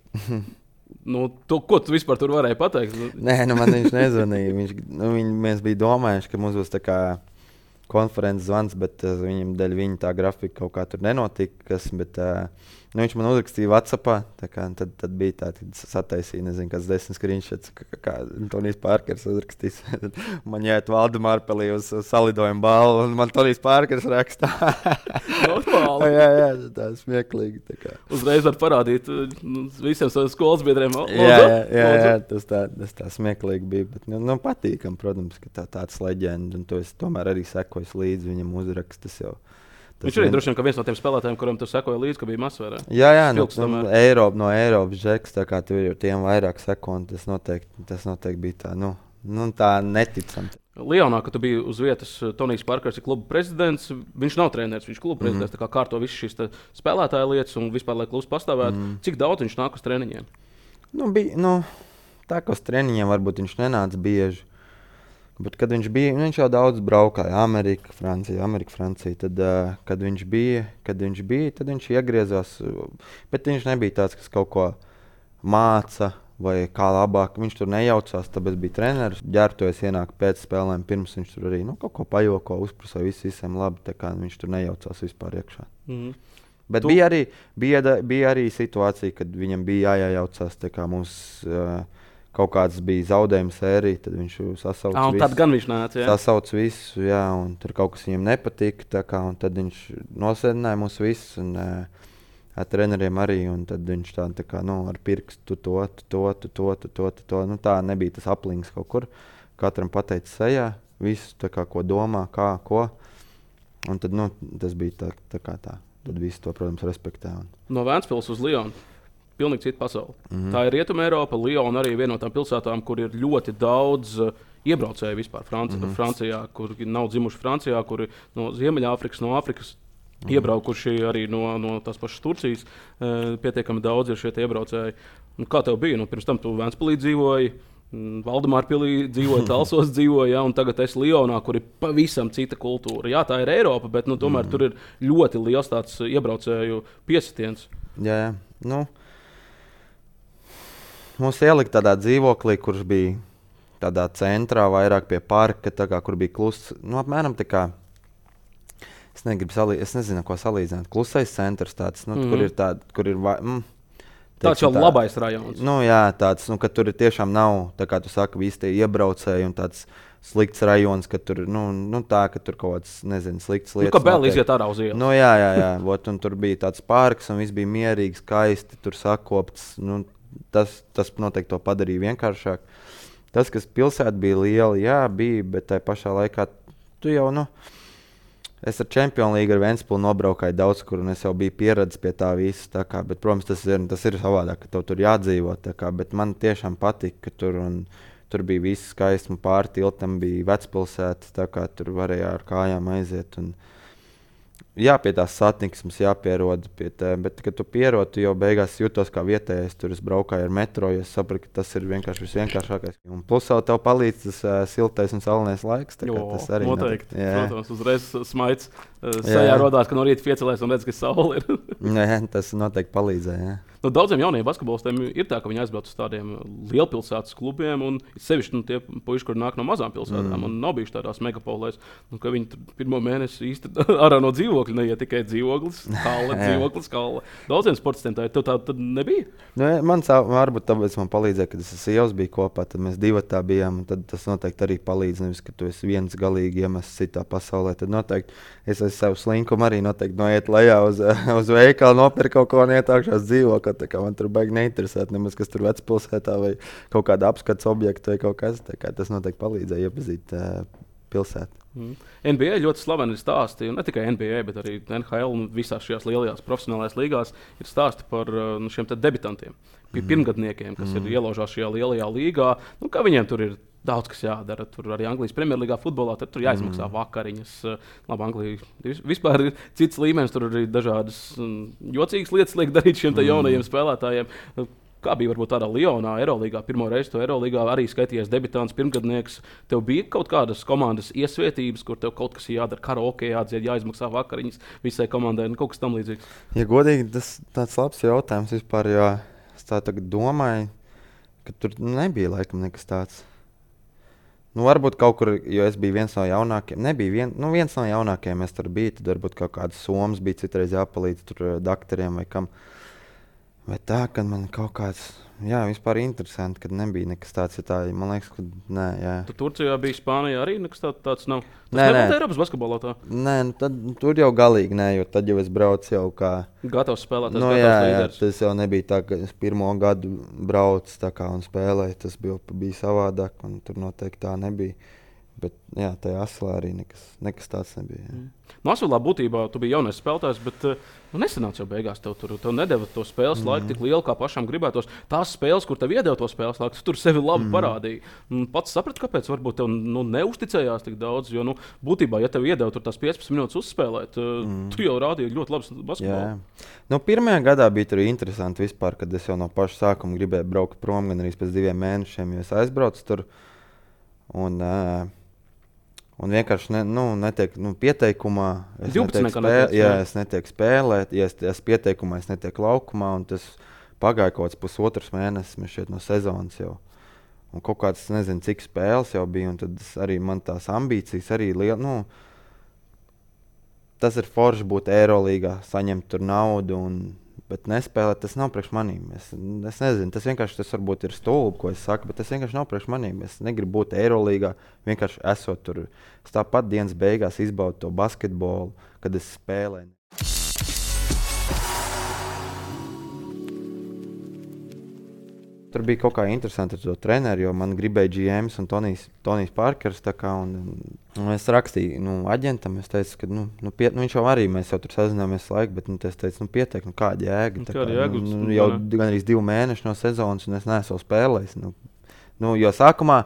nu, tu, ko tu vispār tur varēji pateikt? Nē, nu man viņš nezvanīja. Viņš, nu, viņ, mēs bijām domājuši, ka mums būs tā kā konferences zvans, bet uh, viņam dēļ viņa tā grafika kaut kā tur nenotika. Kas, bet, uh, Nu, viņš man uzrakstīja WhatsAppā, kā, tad, tad bija tā, tad sataisīja, nezinu, kāds desmit screenshots, kā, kā Tonijs Parkers uzrakstīs. Man jāiet Valdemārpelī uz, uz salidojumu balvu, un man Tonijs Parkers rakstā. Normāli. jā, jā, tā smieklīgi. Tā kā. Uzreiz var parādīt nu, visiem saviem skolas biedriem. Jā, jā, jā, jā, tas tā, tas tā smieklīgi bija, bet nu, nu, patīkam, protams, ka tā tāds leģenda, un tu esi tomēr arī sekojis līdzi viņam uzrakstas jau. Tas viņš arī vien... droši vien viens no tiem spēlētājiem, kuriem tu sekoji līdzi, ka bija masvērā. Jā, jā, nu, nu, Eiropa, no Eiropas žeks, tā kā tev ir tiem vairāk sekundi, tas noteikti, tas noteikti bija tā, nu, nu tā neticami. Lionā, kad tu biji uz vietas, Tonijs Parkers ir kluba prezidents, viņš nav treneris, viņš ir kluba prezidents, mm. tā kā kārto visas šīs spēlētāja lietas un vispār, lai klubs pastāvētu. Mm. Cik daudz viņš nāk uz treniņiem? Nu, bija, nu, tā kā uz treniņiem varbūt viņš nenāca bieži. Bet, kad viņš bija, viņš jau daudz braukāja, Amerika, Francija, Amerika, Francija. Tad, uh, kad, viņš bija, kad viņš bija, tad viņš iegriezās. Bet viņš nebija tāds, kas kaut ko māca vai kā labāk. Viņš tur nejaucās, tāpēc bija treneris. Ģērbtojas ienāk pēc spēlēm, pirms viņš tur arī nu, kaut ko pajoko, uzprasīja visu, visiem labi. Tā kā viņš tur nejaucās vispār iekšā. Mm. Bet tu... bija, arī, bija, bija arī situācija, kad viņam bija jājaucās, tā kā mums... Uh, Kaut kāds bija zaudējuma sērija, tad viņš sasauca ah, visu. Tad gan viņš nāca, jā. Sasauca visu, jā, un tur kaut kas viņam nepatika, tā kā, un tad viņš nosēdināja mūs visus, un uh, ar treneriem arī, un tad viņš tā, tā kā, nu, ar pirkstu to, to, to, to, to, to, to, nu, tā nebija tas aplings kaut kur. Katram pateica sejā, visu, tā kā, ko domā, kā, ko, un tad, nu, tas bija tā, tā kā tā. Tad visi to, protams, respektē. Un... No Vēnspils uz Lionu. Pilnīgi cita pasaule. Mm-hmm. Tā ir Rietuma Eiropa, Liona arī viena no tām pilsētām, kur ir ļoti daudz uh, iebraucēju vispār Franci- mm-hmm. Francijā, kur nav dzimuši Francijā, kuri no Ziemeļāfrikas, no Āfrikas mm-hmm. iebraukuši arī no, no tās pašas Turcijas. Uh, pietiekami daudz ir šie iebraucēji. Un kā tev bija? Nu, pirms tam tu Vēnspilī dzīvoji, Valdemārpilī dzīvoji, Talsos dzīvoji, ja, un tagad esi Lionā, kur ir pavisam cita kultūra. Jā, tā ir Eiropa, bet nu, tomēr mm-hmm. tur ir ļoti liels tāds iebraucēju piesitiens. Jā, jā. Nu. Mums ielika tādā dzīvoklī, kurš bija tādā centrā, vairāk pie parka, kā, kur bija kluss. Nu, apmēram tā kā, es, salī, es nezinu, ko salīdzināt. Klusais centrs tāds, nu, mm-hmm. kur ir tāds, kur ir... Mm, tāds jau tā, labais rajons. Nu, jā, tāds, nu, ka tur ir tiešām nav, tā kā tu saki, visi tie iebraucēji un tāds slikts rajons, ka tur, nu, nu tā, ka tur kaut kāds, nezinu, slikts lietas. Nu, ka vēl iziet ārā uz ielas. Nu, jā, jā, jā, vot, un tur bija tāds parks un viss bija mierīgi, skaisti, tur sakopts, nu, Tas, tas noteikti to padarīja vienkāršāk. Tas, kas pilsētā bija liela, jā, bija, bet tajā pašā laikā tu jau, nu, es ar Champions League ar Vēnspili nobraukāju daudz, kur un es jau biju pieredzis pie tā visa. Tā kā, bet, protams, tas ir, tas ir savādāk, ka tev tur jādzīvo. Tā kā, bet man tiešām patika, ka tur, un, tur bija viss skaisti, un pāri tiltam bija vecpilsēta, tā kā tur varēja ar kājām aiziet. Un, jā, pie tās satniksmes jāpierod, pie tā, bet, kad tu pierod, tu jau beigās jūtos kā vietējais. Tur es braukāju ar metro, jo es sapratu, ka tas ir vienkārši visvienkāršākais. Un plus vēl tev palīdz tas uh, siltais un saulainais laiks. Jo, tas arī noteikti. Protams, uzreiz smaids uh, sajā rodās, ka no rīta piecelies un redz, ka saule ir. Jā, tas noteikti palīdzēja. Jā. Nu, daudziem jauniem basketbolistiem ir tā, ka viņi aizbrauc uz tādiem lielpilsētas klubiem, un sevišķi nu, tie puiši, kur nāk no mazām pilsētām, mm. un nav bijuši tādās megapolēs, nu, ka viņi pirmo mēnesi īsti ārā no dzīvokļa neiet tikai dzīvoklis, hale, dzīvoklis, hale. Daudziem sportistiem tā ir, tev tā tad nebija? Nu, man sā, varbūt tāpēc man palīdzēja, kad es ar sievas biju kopā, tad mēs divatā bijām, un tad tas noteikti arī palīdz, nevis, ka tu esi viens galīgi iemests citā pasaulē, tad noteikti es ar savu slinkumu arī noteikti noiet lejā uz, uz veikalu, nopirkt kaut ko un ietākšās dzīvokli, tā kā man tur baigi neinteresēt nemaz, kas tur vecpilsētā vai kaut kāda apskats objekta vai kaut kas, tā kā tas noteikti palīdzēja iepazīt uh, pilsētu. Mm. N B A ļoti slaveni ir stāsti, un ne tikai N B A, bet arī N H L un visās šajās lielajās profesionālajās līgās ir stāsti par nu, šiem debitantiem, mm. pirmgadniekiem, kas mm. ir ielaužās šajā lielajā līgā. Nu, kā viņiem tur ir daudz kas jādara. Tur arī Anglijas Premjerlīgā futbolā tur jāizmaksā mm. vakariņas. Labi, Anglija vispār ir cits līmenis, tur arī dažādas um, jocīgas lietas liek darīt šiem mm. jaunajiem spēlētājiem. Kā bija varbūt tādā Lionā, Eirolīgā, pirmo reizi to Eirolīgā arī skaitījies debitants, pirmgadnieks. Tev bija kaut kādas komandas iesvietības, kur tev kaut kas jādara, karaoke jādzied, jāizmaksā vakariņas visai komandai, nu, kaut kas tam līdzīgs? Ja godīgi, tas tāds labs jautājums vispār, jo es tā tagad domāju, ka tur nebija laikam nekas tāds. Nu, varbūt kaut kur, jo es biju viens no jaunākiem, nebija vien, nu, viens no jaunākiem, es tur biju, tad varbūt kaut kāds somas bija citreiz jāpalīdz tur daktariem vai kam. Vai tā, ka man kaut kāds, jā, vispār interesanti, kad nebija nekas tāds, ja tā, man liekas, ka nē, jā. Tu Turcijā bija, Spānijā arī nekas tā, tāds nav? Tas nē, nebūtu Eiropas basketbolā tā? Nē, nu tad tur jau galīgi nē, jo tad jau es braucu jau kā... Gatavs spēlēt, nu, gatavs jā, līderis. Jā, tas jau nebija tā, ka es pirmo gadu braucu tā kā un spēlēju, tas bija, bija savādāk, un tur noteikti tā nebija. Bet jā, tajā aslā arī nekas, nekas tāds nebija. Jā. Mm. Nu, aslā būtībā tu biji jaunais spēlētājs, bet nu, nesanāca jau beigās. Tev, tur, tev nedeva to spēles mm. laiku tik lielu, kā pašam gribētos. Tās spēles, kur tev iedeva to spēles laiku, tu tur sevi labi mm. parādīji. Pats saprati, kāpēc varbūt tev nu, neusticējās tik daudz. Jo nu, būtībā, ja tev iedeva tur tās piecpadsmit minūtes uzspēlēt, mm. tu jau rādīji ļoti labs basketbolu. Nu, pirmajā gadā bija tur interesanti vispār, kad es jau no paša sākuma gribēju braukt prom gan arī pēc diviem mēnešiem, jo es aizbraucu tur. Un, uh, Un vienkārši ne, nu, netiek nu, pieteikumā. Es netieku spēlēt, jā, es netieku spēlēt, ja es esmu pieteikumā, es netieku laukumā. Tas pagāja kaut kāds pusotrs mēnesis šeit no sezonas jau. Un kaut kāds, nezinu, cik spēles jau bija. Un tad arī man tās ambīcijas arī liela. Nu, tas ir forši būt Eirolīgā, saņemt tur naudu. Un, bet nespēlēt, tas nav priekš manīm. Es, es nezinu, tas vienkārši tas varbūt ir stulbi, ko es saku, bet tas vienkārši nav priekš manīm. Es negribu būt Eirolīgā, vienkārši esot tur. Es tāpat dienas beigās izbaudu to basketbolu, kad es spēlēju. Tur bija kaut kā interesanti ar to treneru, jo man gribēja G Ms un Tonijs, Tonijs Parkers. Kā, un, un es rakstīju nu, aģentam, es teicu, ka nu, nu, pie, nu, viņš jau arī, mēs jau tur sazināmies laiku, bet nu, es teicu, nu, pietiek, nu, kāda jēga. Tā kā, jēga nu, nu, jau gan arī divi mēneši no sezonas, un es neesmu spēlējis. Nu, nu, jo sākumā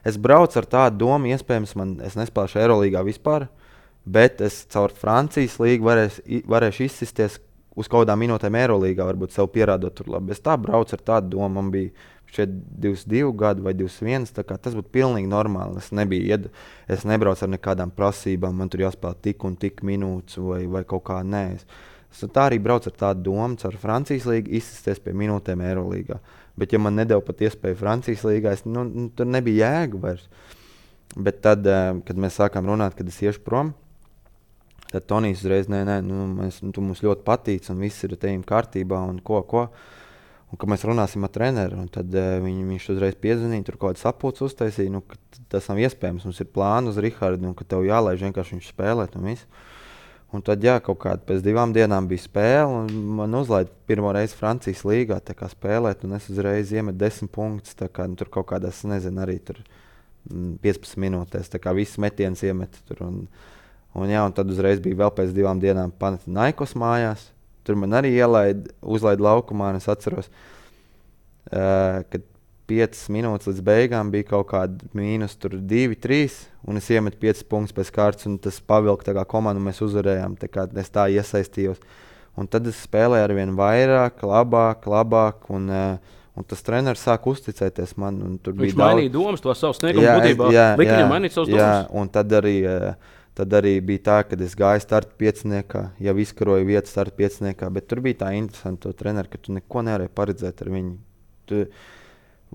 es braucu ar tādu domu, iespējams, man, es nespēlēšu Eirolīgā vispār, bet es caur Francijas līgu varēs, varēšu izsisties uz kaut kādām minūtēm Eirolīgā, varbūt sev pierādot tur labi. Es tā braucu ar tādu domu, man bija šeit divdesmit divi gadi vai divdesmit viens, tā kā tas būtu pilnīgi normāli. Es, nebija, es nebraucu ar nekādām prasībām, man tur jāspēlē tik un tik minūtes vai, vai kaut kā nē. Es, es tā arī braucu ar tādu domu, caur Francijas līgu izsisties pie minūtēm Eirolīgā. Bet ja man nedeva pat iespēju Francijas līgā, es, nu, nu, tur nebija jēga vairs. Bet tad, kad mēs sākām runāt, kad es iešu prom, tad Tonijs uzreiz, nē, nē, nu, mēs, nu, tu mums ļoti patīc un viss ir tejiem kārtībā un ko, ko. Un ka mēs runāsim ar treneru, un tad uh, viņ, viņš uzreiz piezvanīja, tur kaut kāds sapulcs uztaisīja, nu, ka tas nav iespējams, mums ir plāni uz Rihardu, un ka tev jālaiž vienkārši viņš spēlēt un viss. Un tad, jā, kaut kādā pēc divām dienām bija spēle, un man uzlaida pirmo reizi Francijas līgā tā kā spēlēt, un es uzreiz iemetu desmit punktus, tā kā nu, tur kaut kādās, nezinu, arī tur piecpadsmit minūtēs, tā kā viss metiens iemet tur. Un, Un, jā, un tad uzreiz bija vēl pēc divām dienām Panathinaikos mājās. Tur man arī ielaid, uzlaid laukumā, un es atceros, uh, kad piecas minūtes līdz beigām bija kaut kāda mīnus divi, trīs, un es iemetu piecas punktus pēc kārtas, un tas pavilka tā kā komandu, un mēs uzvarējām, tā kā es tā iesaistījos. Un tad es spēlēju arvien vairāk, labāk, labāk, un, uh, un tas treneris sāk uzticēties man. Un tur viņš bija mainīja daudz... domas, to savu sniegumu būtībā, lika viņam mainīt savus domas. Jā, un tad arī... Uh, Tad arī bija tā, ka es gāju starta pieciniekā, jau izkaroju vietu starta pieciniekā, bet tur bija tā interesanti to treneru, ka tu neko nevarēji paredzēt ar viņu. Tu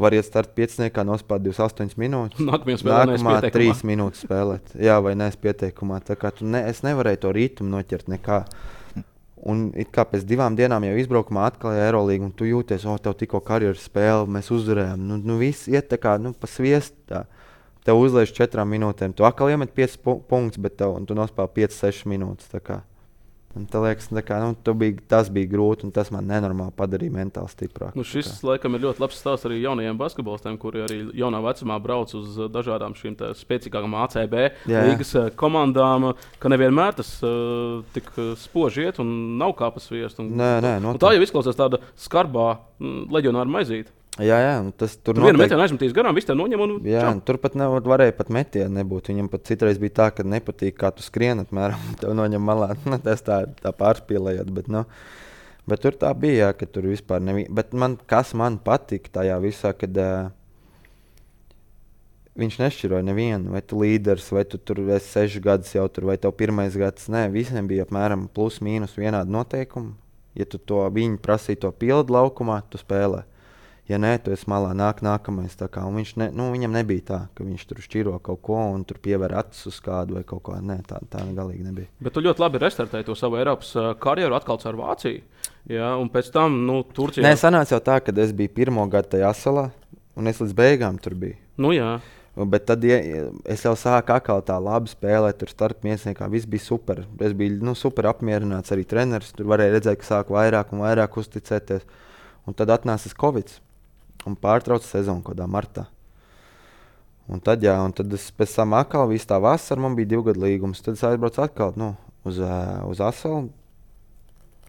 vari iet starta pieciniekā, nospēlēt divdesmit astoņas minūtes. Nākamā trīs minūtes spēlēt. Jā, vai nees pieteikumā. Tā kā tu ne, es nevarēju to rītumu noķert nekā. Un it kā pēc divām dienām jau izbraukumā atklāja Eirolīgu, un tu jūties, o, tev tikko karjeras spēle, mēs uzvarējām. Nu, nu viss iet tā kā, nu, pa sviestu tā. Tev uzliež četrām minūtēm. Tu atkal iemet piecas pu punktus, bet tev, tu nospēl piecas sešas minūtes. Tā kā. Un tā liekas, tā kā, nu, bija, tas bija grūti, un tas man nenormāli padarīja mentāli stiprāk. Nu, šis, laikam, ir ļoti labs stāsts arī jaunajiem basketbolistiem, kuri arī jaunā vecumā brauc uz dažādām šīm spēcīgākām A C B jā. Līgas komandām, ka nevienmēr tas uh, tik spoži iet un nav kā pa sviestu. Nē, nē, un tā jau izklausās tāda skarbā mm, leģionāra maizīte. Jā, jā, tas tur bija. Vienu metienu aizmetīs garām, viss te noņem un jā, tur pat ne, varēja pat metienu nebūt. Viņam pat citreiz bija tā, ka nepatīk, kā tu skrien apmēram, tev noņem malā. Nu, tas tā, tā pārspīlējot, bet, nu, bet tur tā bija, jā, ka tur vispār nebija. Bet man, kas man patika tajā visā, kad uh, viņš nešķiroja nevienu, vai tu līderis, vai tu tur esi sešas gadus jau tur, vai tev pirmais gads. Nē, visiem bija apmēram plus mīnus vienādi noteikumi. Ja tu to viņi prasīja to pildu laukumā, tu spēlē. Ja nē, tu esi malā, nāk nākamais. Kā, viņš ne, nu, viņam nebija tā, ka viņš tur šķiro kaut ko un tur pievēr acis uz kādu vai kaut ko. Nē, tā, tā galīgi nebija. Bet tu ļoti labi restartēji to savu Eiropas uh, karjeru atkal ar Vāciju. Jā, un pēc tam, nu, Turcijā. Nē, sanāca jau tā, ka es biju pirmo gadu tajā asalā un es līdz beigām tur biju. Nu, jā. Bet tad ja, es jau sāku atkal tā labi spēlēt, tur starp miesniekā. Viss bija super. Es biju nu, super apmierināts, arī treneris. Tur varēja redzēt, ka sāku vairāk un vairāk uzticēties. Un tad atnācis Covid. Un pārtrauca sezonu kaut kādā martā. Un tad, jā, un tad es pēc tam atkal visu tā vasaru, man bija divu gadu līgums. Tad es aizbraucu atkal nu, uz, uh, uz Asalu.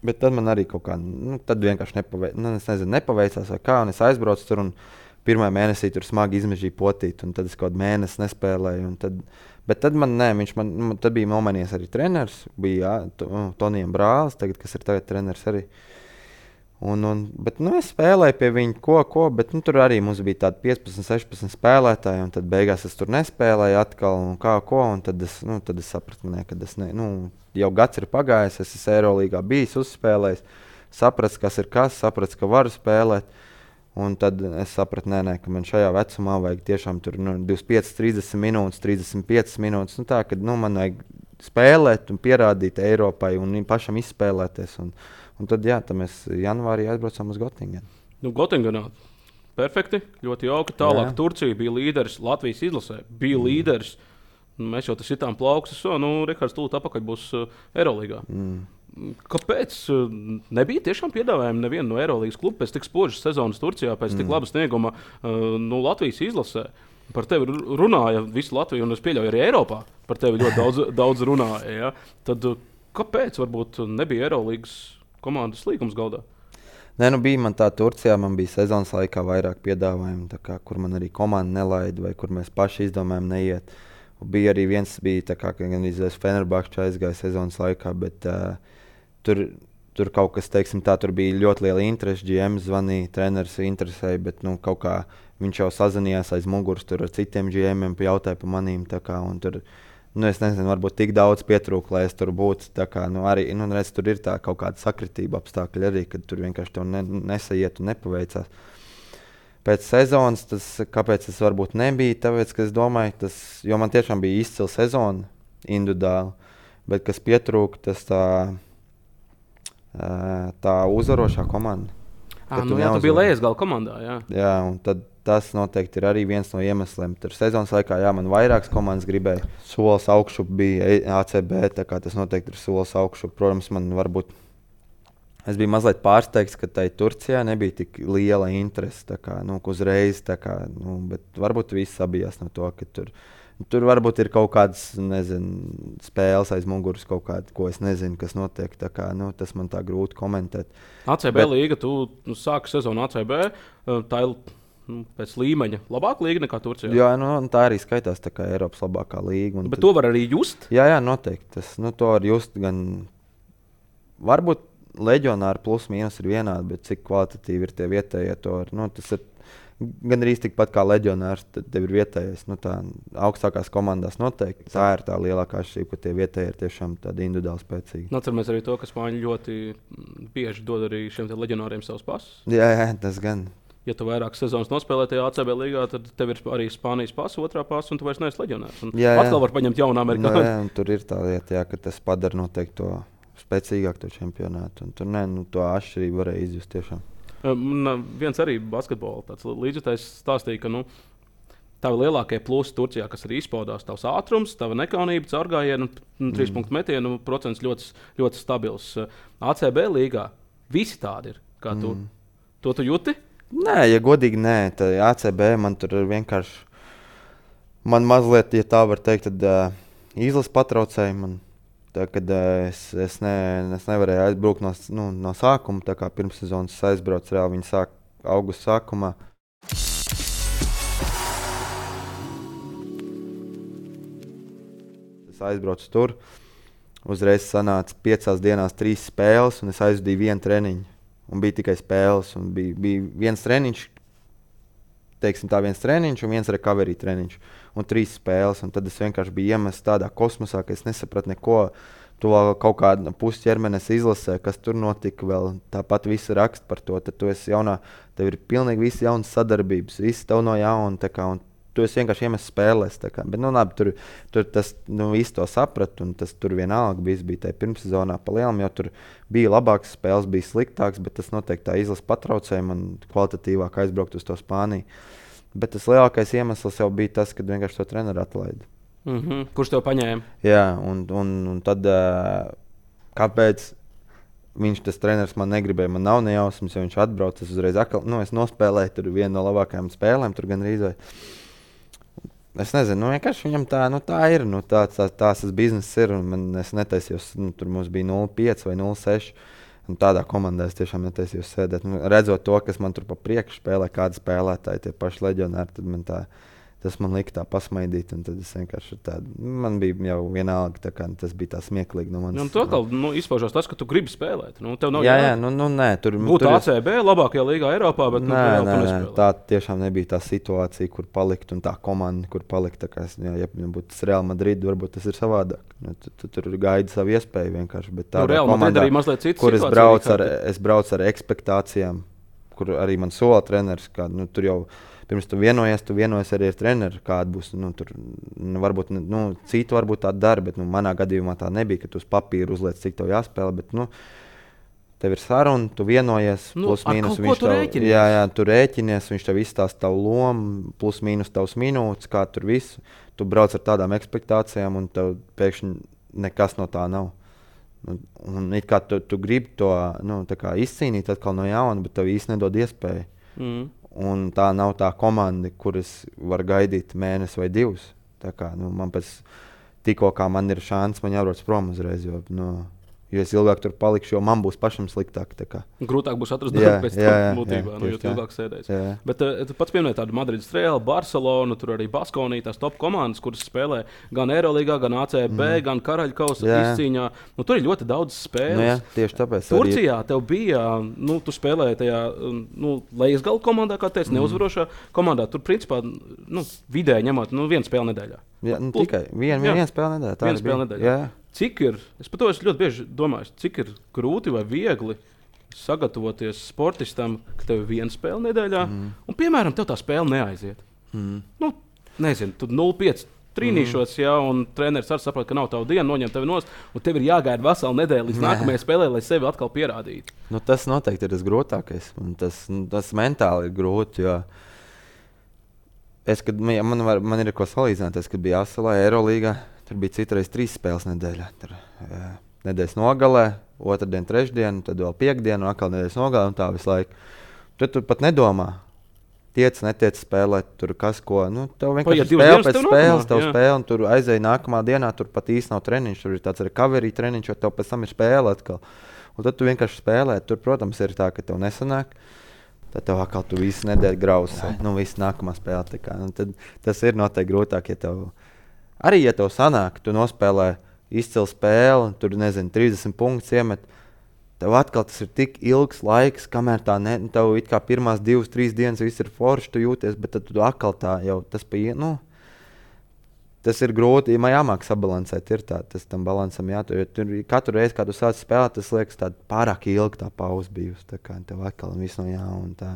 Bet tad man arī kaut kā, nu, tad vienkārši nepaveic, nu, es nezinu, nepaveicās vai kā. Un es aizbraucu tur un pirmā mēnesī tur smagi izmežīja potīt. Un tad es kaut kādu mēnesi nespēlēju. Un tad, bet tad man, nē, viņš man, tad bija nomainījies arī treneris. Bija jā, Tonijam Brālis, tagad, kas ir tagad treneris arī. Un, un, bet, nu, es spēlēju pie viņa, ko, ko, bet nu, tur arī mums bija tādi piecpadsmit, sešpadsmit spēlētāji. Un tad beigās es tur nespēlēju atkal, un kā, ko. Un tad es, nu, tad es sapratu, ne, ka es ne, nu, jau gads ir pagājis, es esmu Eirolīgā bijis, uzspēlējis, sapratu, kas ir kas, sapratu, ka varu spēlēt. Un tad es sapratu, nē, nē, ka man šajā vecumā vajag tiešām tur nu, divdesmit piecas, trīsdesmit minūtes, trīsdesmit piecas minūtes. Nu, tā, ka nu, man vajag spēlēt un pierādīt Eiropai un pašam izspēlēties. Un, Un tad, jā, tad mēs janvārī aizbraucām uz Gotingenu. Nu, Gotingenā perfekti, ļoti jauki. Tālāk jā. Turcija bija līderis, Latvijas izlasē bija mm. līderis. Mēs jau tas sitām plaukstus, so, nu, Rihards tūlīt apakaļ būs uh, Eirolīgā. Mm. Kāpēc uh, nebija tiešām piedāvājumi nevienu no Eirolīgas klubu pēc tik spožas sezonas Turcijā, pēc mm. tik laba snieguma uh, nu, Latvijas izlasē? Par tevi runāja visu Latviju, un es pieļauju arī Eiropā. Par tevi ļoti daudz, daudz runāja. Ja? Tad uh, kāpēc varbūt nebija Eirolīgas komandas līgums galdā? Nē, nu bija man tā Turcijā, man bija sezonas laikā vairāk piedāvājumu, tā kā, kur man arī komanda nelaida, vai kur mēs paši izdomājam neiet. Un bija arī viens, bija tā kā, ka gan izvēs Fenerbahča aizgāja sezonas laikā, bet uh, tur, tur kaut kas, teiksim tā, tur bija ļoti liela interese, G M zvanīja, treneris interesēja, bet nu kaut kā viņš jau sazinījās aiz muguras tur ar citiem G M-iem, jautāja pa manīm, tā kā, un tur Nu, es nezinu, varbūt tik daudz pietrūka, lai es tur būtu. Kā, nu, arī, nu, redz, tur ir tā kaut kāda sakritība apstākļi arī, kad tur vienkārši tev ne, nesaiet un nepaveicās. Pēc sezonas, tas, kāpēc tas varbūt nebija, tāpēc, ka es domāju, tas, jo man tiešām bija izcila sezona individuāli, bet kas pietrūka, tas tā, tā uzvarošā komanda. À, nu, jā, tu biji lejas gala komandā, jā. Jā, un tad tas noteikti ir arī viens no iemesliem. Tur sezonas laikā, jā, man vairākas komandas gribēja. Solis augšup bija A C B, tā kā tas noteikti ir solis augšup. Protams, man varbūt, es biju mazliet pārsteigts, ka tai Turcijā nebija tik liela interese, tā kā, nu, uzreiz, tā kā, nu, bet varbūt viss sabijās no to, ka tur, tur varbūt ir kaut kādas, nezinu, spēles aiz muguras kaut kāda, ko es nezinu, kas notiek, tā kā, nu, tas man tā grūti komentēt. A C B bet, līga, tu nu, sāki sezonu A C B, tā ir nu, pēc līmeņa labāka līga nekā Turcijā. Jā, nu, tā arī skaitās tā kā Eiropas labākā līga. Bet tad, to var arī just? Jā, jā, noteikti. Tas, nu, to var just gan, varbūt leģionāri plus mīnus ir vienādi, bet cik kvalitatīvi ir tie vietējie to var, nu, tas ir gan arī tikpat kā leģionārs, tad tev ir vietējais. Nu, tā augstākās komandās noteikti. Tā ir tā lielākā atšķirība, ka tie vietēji ir tiešām tādi individuāli spēcīgi. Atceramies arī to, ka spāņi ļoti bieži dod arī šiem leģionāriem savus pasus. Jā, jā, tas gan. Ja tu vairākas sezonas nospēlē tajā A C B līgā, tad tev ir arī Spānijas pasa, otrā pasa, un tu vairs neesi leģionārs. Jā, jā. Atkal var paņemt jaunu amerikāņu. Nu, jā, un tur ir tā lieta, jā, ka tas padara noteikti to spēcīgāku to čempionātu. Un tur ne, nu, to atšķirību varēja izjust tiešām. Man viens arī basketbola līdzjutējs stāstīja, ka nu, tavi lielākie plusi Turcijā, kas arī izpaudās, tavs ātrums, tava nekaunība, caurgājienu, mm. trīs punktu metienu procents ļoti, ļoti stabils. A C B līgā visi tādi ir, kā tu. Mm. To tu jūti? Nē, ja godīgi nē, tad A C B man tur ir vienkārši, man mazliet, ja tā var teikt, tad uh, izlas patraucēja man. Tā, kad uh, es, es, ne, es nevarēju aizbraukt no, nu, no sākuma, tā kā pirms sezonas aizbraucu reāli viņa sāk augusta sākumā. Es aizbraucu tur, uzreiz sanāca piecās dienās trīs spēles, un es aizvadīju vienu treniņu. Un bija tikai spēles, un bija, bija viens treniņš, teiksim tā, viens treniņš un viens recovery treniņš. Un trīs spēles, un tad es vienkārši biju iemests tādā kosmosā, ka es nesapratu neko. To kaut kāda pusi ķermenes izlasē, kas tur notika vēl. Tāpat visi raksta par to, tad tu esi jaunā, tev ir pilnīgi visi jaunas sadarbības, visi tev no jauna, tā kā, un tu esi vienkārši iemests spēlēs, tā kā. Bet, nu, labi, tur, tur tas, nu, visi to sapratu, un tas tur vienalga viss bija tajā pirmssezonā pa lielam, jo tur bija labāks spēles, bija sliktāks, bet tas noteikti tā izlas patraucēja man kvalitatīvāk aizbraukt uz to Spāniju. Bet tas lielākais iemesls jau bija tas, kad vienkārši to treneru atlaida. Mm-hmm. Kurš tev paņēma? Jā, un, un, un tad uh, kāpēc viņš, tas treneris, man negribēja, man nav nejausmas, jo viņš atbrauc, es uzreiz atkal, nu, es nospēlēju tur vienu no labākajām spēlēm, tur gan rīzai. Es nezinu, nu, vienkārši viņam tā, nu, tā ir, nu, tā, tā, tās tas bizness ir, un man, es netaisījos, nu, tur mums bija nulle pieci vai nulle seši. Un tādā komandā es tiešām netaisījos sēdēt. Nu, redzot to, kas man tur pa priekšu spēlē, kādi spēlētāji, tie paši leģionāri, tad man tā, tas man lika tā pasmaidīt. Un tad es vienkārši tādu, man bija jau vienalga, tā kā tas bija tā smieklīgi no manis. Nu, tu atkal nu, izpaužās tas, ka tu gribi spēlēt. Nu, tev nav jā, jā, nu, nu nē. Tur būtu A C B labākajā līgā Eiropā, bet nē, nu, nē, nē, tā tiešām nebija tā situācija, kur palikt, un tā komanda, kur palikt. Tā kā, jā, ja būtu tas Real Madrid, varbūt tas ir savādāk. Nu, tu, tu tur gaidi savu iespēju vienkārši. Bet tādā nu, komandā, kur es braucu, ar, es braucu ar ekspektācijām, kur arī man sola treneris, kā, nu, tur jau pirms tu vienojies, tu vienojies arī ar treneru, kāda būs. Nu, tur, nu, varbūt, nu, citu varbūt tā dara, bet nu, manā gadījumā tā nebija, ka tu uz papīru uzliec, cik tev jāspēlē. Bet, nu, tev ir saruna, tu vienojies, nu, plus mīnus. Viņš tev, rēķinies. jā, jā, tu rēķinies, viņš tev izstāsta tavu lomu, plus mīnus tavs minūtes, kā tur visu. Tu brauc ar tādām ekspektācijām, un tev pēkšņi nekas no tā nav. Un, un it kā tu, tu gribi to nu, izcīnīt atkal no jauna, bet tev īsti nedod iespēju. Mm. Un tā nav tā komanda, kuras var gaidīt mēnesi vai divus. Tā kā, nu, man pēc tikko kā man ir šāns, man jābrauc prom uzreiz, jo, nu, jo es ilgāk tur palikšu, jo man būs pašam sliktāk. Grūtāk būs atrast darbu pēc tam būtībā, nu, jo tu ilgāk sēdēs. Jā, jā. Bet uh, tu pats pieminēji tādu Madrides Real, Barcelonu, tur arī Baskonija, tās top komandas, kuras spēlē gan Eirolīgā, gan A C B, mm. gan Karaļkausa izcīņā. Nu, tur ir ļoti daudz spēles. Nu, jā, tieši tāpēc. Turcijā arī... tev bija, nu, tu spēlēji tajā, nu, lejasgala komandā, kā teici, mm. neuzvarošā komandā. Tur, principā, nu, vidēji ņemot, nu, vienu spēli nedēļā. Jā, nu, Plus, tikai vienu vien spēli nedēļā. Vienu spēli nedēļā. Cik ir, es par to es ļoti bieži domāju, cik ir grūti vai viegli sagatavoties sportistam, ka tev ir viena spēle nedēļā, mm. un, piemēram, tev tā spēle neaiziet. Mm. Nu, nezinu, tu nulle pieci trīnīšos, mm. jā, un treneris arī saprot, ka nav tava diena, noņem tevi nost, un tev ir jāgaida vesela nedēļa līdz nākamajai spēlē, lai sevi atkal pierādītu. Nu, tas noteikti ir tas grūtākais, un tas, nu, tas mentāli ir grūti, jo es, kad, man, var, man ir ko salīdzināt, es, kad biju Asalā, Eirolīgā, tur bija citreiz trīs spēles nedēļā. Tur, jā, nedēļas nogalē, otrdien, trešdien, tad vēl piekdien, un atkal nedēļas nogalē, un tā visu laiku. Tur tu pat nedomā. Tiec, netiec spēlēt, tur kas ko. Nu, tev vienkārši spēle pēc spēles, tev spēle, un tur aizēja nākamā dienā, tur pat īsti nav treniņš, tur ir tāds recovery treniņš, jo tev pēc tam ir spēle atkal. Un tad tu vienkārši spēlē. Tur, protams, ir tā, ka tev nesanāk. Tad tev atkal tu visu nedēļu grausē. Nu, visu nākamā spēle. Tā kā. Nu, tad tas ir noteikti grūtāk, ja tev... Arī, ja tev sanāk, tu nospēlē izcilu spēli, tur, nezinu, trīsdesmit punktus iemet, tev atkal tas ir tik ilgs laiks, kamēr tā ne, tev it kā pirmās divas, trīs dienas viss ir forši, tu jūties, bet tad tu atkal tā jau tas pie, nu, tas ir grūti, ja man jāmāk sabalansēt, ir tā, tas tam balansam jātur, jo tur katru reizi, kad tu sāc spēlēt, tas liekas tāda pārāk ilga tā pauze bijusi, tā kā tev atkal viss no jauna tā.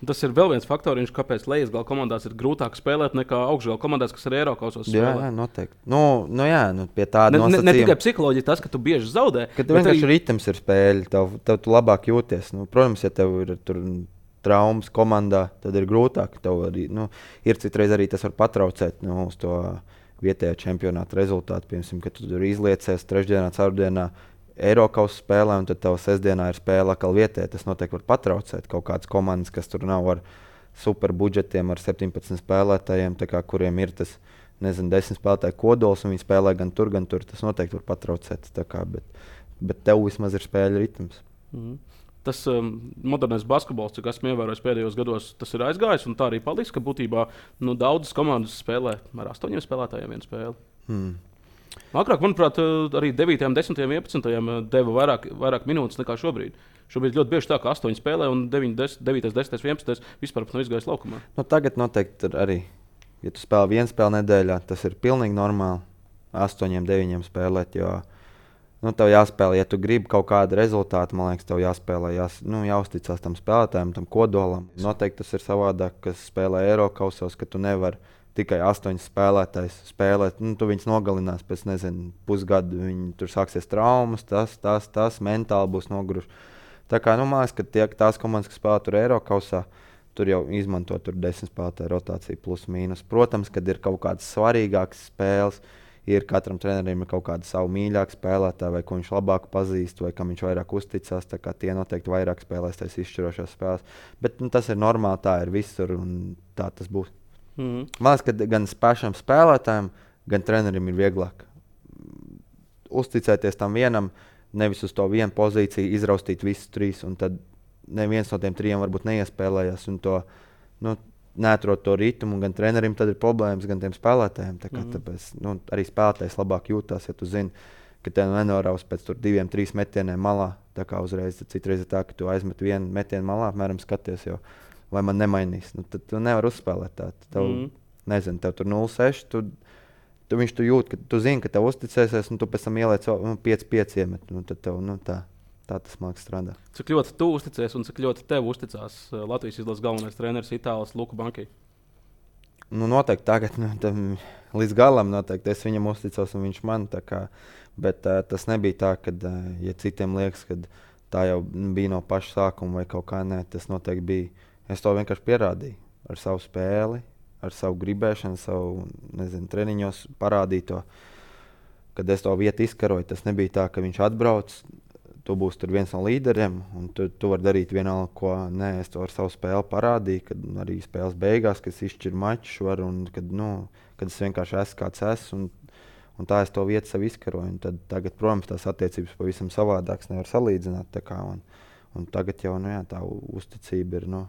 Tas ir vēl viens faktoriņš, kāpēc lejas gala komandās ir grūtāk spēlēt nekā augšgala komandās, kas ir Eirokausos spēlē. Jā, jā, noteikti. Nu, nu jā, nu pie tāda ne, nosacījuma. Ne, ne tikai psiholoģija tas, ka tu bieži zaudē. Ka tev vienkārši arī... ritms ir spēļi, tev, tev tu labāk jūties. Nu, protams, ja tev ir tur traumas komandā, tad ir grūtāk. Tev arī, nu, ir citreiz arī tas var patraucēt nu, uz to vietējā čempionāta rezultātu. Piemēram, ka tu tur izliecies trešdienā, ceturtdienā Eirokausa spēlē, un tad tev sestdienā ir spēle atkal vietē. Tas noteikti var patraucēt kaut kādas komandas, kas tur nav ar super budžetiem, ar septiņpadsmit spēlētājiem, kā, kuriem ir tas, nezinu, desmit spēlētāju kodols, un viņi spēlē gan tur, gan tur. Tas noteikti var patraucēt, kā, bet, bet tev vismaz ir spēļu ritms. Mm. Tas um, modernais basketbols, cik esmu ievērojis pēdējos gados, tas ir aizgājis, un tā arī paliks, ka būtībā nu, daudzas komandas spēlē ar astoņiem spēlētājiem vienu spēli. Mm. Agrāk, manuprāt, arī devītajam, desmitajam, vienpadsmitajam deva vairāk, vairāk minūtes nekā šobrīd. Šobrīd ļoti bieži tā, ka astoņi spēlē un devītais, desmitais, vienpadsmitais vispār nav izgājis laukumā. Nu, tagad noteikti arī, ja tu spēlē vienu spēli nedēļā, tas ir pilnīgi normāli astoņiem, deviņiem spēlēt, jo nu, tev jāspēlē, ja tu gribi kaut kādu rezultātu, man liekas, tev jāspēlē, jās, nu, jāuzticās tam spēlētājam, tam kodolam. Noteikti tas ir savādāk, kas spēlē Eirokausos, ka tu nevari tikai astoņas spēlētājs spēlēt. Nu, tu viņus nogalinās pēc, nezinu, pusgadu. Viņi tur sāksies traumas, tas, tas, tas, mentāli būs noguruši. Tā kā, nu, man liekas, ka tie, tās komandas, kas spēlē tur Eirokausā, tur jau izmanto tur desmit spēlētāju rotāciju plus mīnus. Protams, kad ir kaut kādas svarīgākas spēles, ir katram trenerim ir kaut kāda savu mīļāku spēlētāju, vai ko viņš labāk pazīst, vai kam viņš vairāk uzticās. Tā kā tie noteikti vairāk spēlēs tās izšķirošās spēles. Bet nu, tas ir normāli, tā ir visur un tā tas būs. Mm. Man liekas, ka gan pašam spēlētājam, gan trenerim ir vieglāk uzticēties tam vienam, nevis uz to vienu pozīciju, izraustīt visus trīs, un tad neviens no tiem trijiem varbūt neiespēlējās, un to nu, neatrod to ritmu, un gan trenerim tad ir problēmas, gan tiem spēlētājiem. Tā kā, mm. tāpēc, nu, arī spēlētājs labāk jūtās, ja tu zini, ka tev nenoraus pēc tur diviem, trīs metieniem malā. Tā kā uzreiz, citreiz ir tā, ka tu aizmet vienu metienu malā, apmēram skaties, jo vai man nemainīs. Nu, tad tu nevari uzspēlēt tā. Tev, mm. nezinu, tev tur nulle seši, tu, tu viņš tu jūt, ka tu zini, ka tev uzticēsies, un tu pēc tam ieliec nu, pieci pieci iemet. Nu, tad tev, nu, tā, tā tas māks strādā. Cik ļoti tu uzticies un cik ļoti tev uzticās Latvijas izlases galvenais treneris Itālis Luka Banki? Nu, noteikti tagad, nu, tam, līdz galam noteikti es viņam uzticos un viņš man. Tā kā, bet uh, tas nebija tā, ka, uh, ja citiem liekas, ka tā jau bija no paša sākuma vai kaut kā nē, tas noteikti bija. Es to vienkārši pierādīju ar savu spēli, ar savu gribēšanu, savu, nezinu, treniņos parādīju to, kad es to vietu izkaroju. Tas nebija tā, ka viņš atbrauc, tu būsi tur viens no līderiem, un tu, tu vari darīt vienalga, ko nē, es to ar savu spēli parādīju, kad arī spēles beigās, kad es izšķiru mačus, un kad, nu, kad es vienkārši esmu kāds esmu, un, un tā es to vietu sev izkaroju. Un tad, tagad, protams, tās attiecības pavisam savādākas nevar salīdzināt. Tā kā, un, un tagad jau nu, jā, tā uzticība ir. Nu,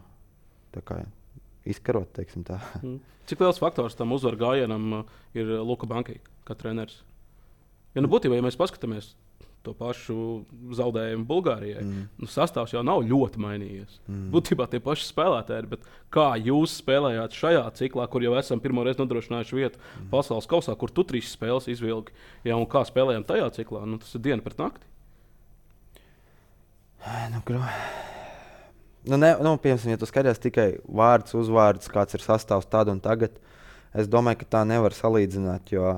Tā kā izkarot, teiksim tā. Mm. Cik liels faktors tam uzvaru gājienam uh, ir Luka Banki, kā treneris? Ja nu būtībā, ja mēs paskatāmies to pašu zaudējumu Bulgārijai, mm. nu, sastāvs jau nav ļoti mainījies. Mm. Būtībā tie paši spēlētāji, bet kā jūs spēlējāt šajā ciklā, kur jau esam pirmo reizi nodrošinājuši vietu mm. pasaules kausā, kur tu trīs spēles izvilki, ja, un kā spēlējām tajā ciklā, nu, tas ir diena pret nakti? Nu, gru... Nu, ne, nu, piemēram, ja tu skaties tikai vārds, uzvārds, kāds ir sastāvs tad un tagad, es domāju, ka tā nevar salīdzināt, jo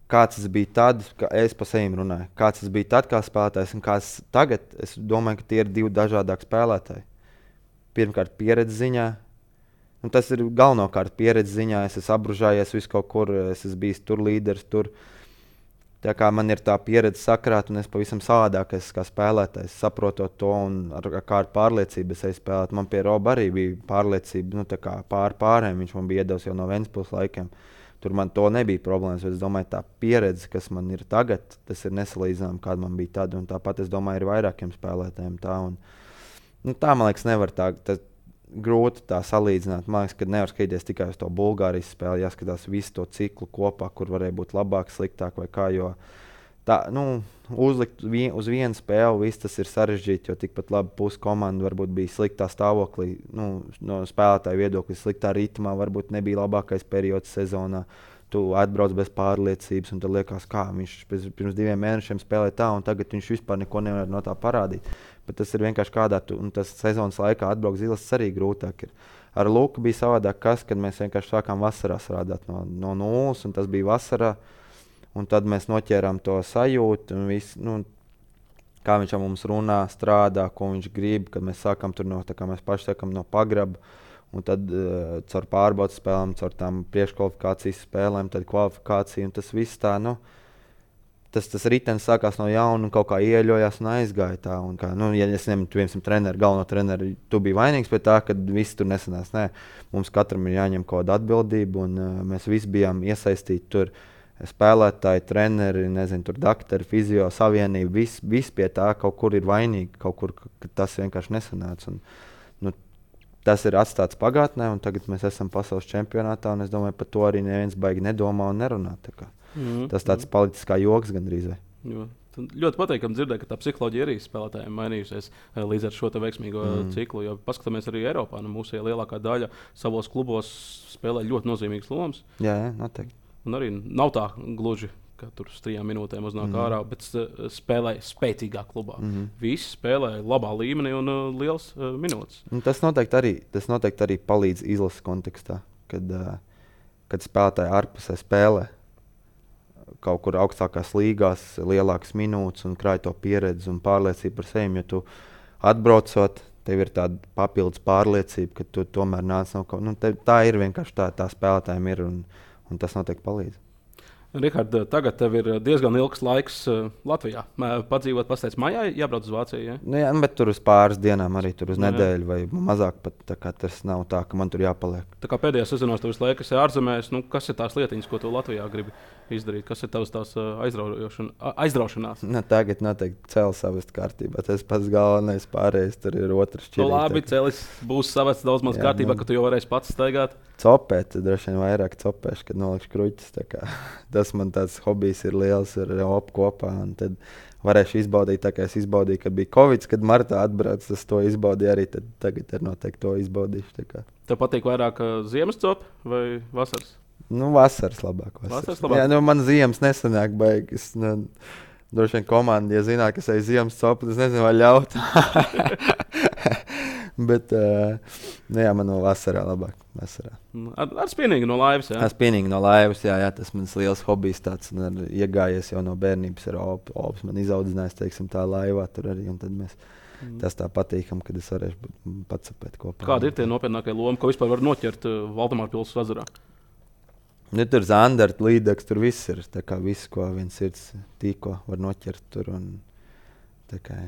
kāds tas bija tad, kad es pa sevi runāju, kāds tas bija tad kā spēlētājs un kāds tagad, es domāju, ka tie ir divi dažādāki spēlētāji. Pirmkārt, pieredze ziņā, un tas ir galvenokārt pieredze ziņā, es esmu apbružājies visu kaut kur, es esmu bijis tur līderis, tur. Tā kā man ir tā pieredze sakrāt, un es pavisam savādāk esmu kā spēlētājs, saprotot to, un ar, ar kādu pārliecību es eju spēlēt. Man pie Roba arī bija pārliecība, nu tā kā pār pārējiem, viņš man bija iedevis jau no Ventspils laikiem. Tur man to nebija problēmas, bet es domāju, tā pieredze, kas man ir tagad, tas ir nesalīdzināms, kāda man bija tad, un tāpat es domāju, ir vairākiem spēlētājiem tā, un nu, tā, man liekas, nevar tā, tas grūti tā salīdzināt. Man liekas, ka nevar skatīties tikai uz to Bulgārijas spēli, jāskatās visu to ciklu kopā, kur varēja būt labāk, sliktāk vai kā, jo tā, nu, uzlikt vien, uz vienu spēli, viss tas ir sarežģīti, jo tikpat labi pusi komanda varbūt bija sliktā stāvoklī, nu, no spēlētāju viedokļa, sliktā ritmā, varbūt nebija labākais periods sezonā. Tu atbrauc bez pārliecības, un tad liekas, kā viņš pirms diviem mēnešiem spēlēja tā, un tagad viņš vispār neko nevar no tā parādīt. Bet tas ir vienkārši kādā, tu, un tas sezonas laikā atbraukt zilas arī grūtāk ir. Ar Luku bija savādāk kas, kad mēs vienkārši sākām vasarā strādāt no, no nulles, un tas bija vasarā. Un tad mēs noķērām to sajūtu, un visu, nu, kā viņš ar mums runā, strādā, ko viņš grib, kad mēs sākam tur no, tā kā mēs paši sākam no pagraba, un tad uh, caur pārbaudas spēlēm, caur tām priekškvalifikācijas spēlēm, tad kvalifikācija, un tas viss tā, nu, tas, tas ritenis sākās no jauna un kaut kā ieļojās un aizgāja tā, un kā, nu, ja es ņemu, tu vienam treneru, galveno treneru, tu biji vainīgs pie tā, kad viss tur nesanās, nē, mums katram ir jāņem kaut kāda atbildība, un uh, mēs visi bijām iesaistīti tur, spēlētāji, treneri, nezinu, tur doktori, fizio, savienība, viss vis pie tā kaut kur ir vainīgi, kaut kur, ka tas vienkārši nesanāca. Un, nu, tas ir atstāts pagātnē, un tagad mēs esam pasaules čempionātā, un es domāju, par to arī neviens baigi nedomā un nerunā. Tā kā. Mm-hmm. Tas tāds palicis kā joks gandrīz. Vai. Jo. Ļoti patīkami dzirdēt, ka tā psiholoģija arī spēlētājiem mainījusies līdz ar šo veiksmīgo mm. ciklu. Jo paskatāmies arī Eiropā, nu, mūsu lielākā daļa savos klubos spēlē ļoti nozīmīgas lomas. Jā, jā, noteikti. Un arī nav tā gluži, ka tur uz trijām minūtēm uznāk mm. ārā, bet spēlē spēcīgā klubā. Mm. Visi spēlē labā līmenī un uh, liels uh, minūtes. Un tas, noteikti arī, tas noteikti arī palīdz izlases kontekstā, kad, uh, kad spēlētāji ārpusē spēlē kaut kur augstākās līgās, lielākas minūtes un krāj to pieredzi un pārliecību par sevi. Jo tu atbraucot, tev ir tāda papildus pārliecība, ka tu tomēr nāc no kaut kā. Nu, tā ir vienkārši tā, tā spēlētājiem ir. Un, Un tas noteikti palīdz. Rihard, tagad tev ir diezgan ilgs laiks uh, Latvijā. Padzīvot, pastāstīt, mājā jābrauc uz Vāciju. Ja? Nu, jā, bet tur uz pāris dienām, arī tur uz no, nedēļu vai mazāk. Pat, tā kā tas nav tā, ka man tur jāpaliek. Tā kā pēdējā sezonās tev visu laiku esi ārzemēs, nu, kas ir tās lietiņas, ko tu Latvijā gribi izdarīt? Kas ir tavs tās aizraušanās? Nu, tagad noteikti cēlis savest kārtībā. Tas pats galvenais, pārējais tur ir otrs šķirīt. Nu, labi, cēlis būs savest daudz maz jā, kārtībā, nu, ka tu jau varēsi pats staigāt. Copēt, droši vien vairāk copēšu, kad nolikšu kruķis. Tas man tāds hobijs ir liels ar opu kopā. Tad varēšu izbaudīt, tā kā es izbaudīju, kad bija Covid, kad martā atbrauc, tas to izbaudīju arī. Tad tagad ir noteikti to izbaudīšu. Tev patīk vairāk ziemas copi vai vasaras? Nu, vasaras labāk. Vasaras. Vasaras labāk. Jā, nu, man ziemas nesanāk baigas. Nu, droši vien komanda, ja zināt, ka es eju ziemas copu, tas nezinu, vai ļaut. Bet, uh, nu jā, man no vasarā labāk. Vasarā. Ar, ar spienīgi no laivas, jā? Ar spienīgi no laivas, jā, jā, tas mans liels hobijs tāds, un ar, iegājies jau no bērnības ar opu. Ops man izaudzinājis, teiksim, tā laivā tur arī, un tad mēs, mm. tas tā patīkam, kad es varēšu pacapēt kopā. Kādi ir tie nopietnākie lomi, ko vispār var noķert uh, Valdemāra pils ezerā? Nu, tur Zandart, Līdaks, tur viss ir, tā kā viss, ko viens sirds tīko var noķert tur, un tā kā...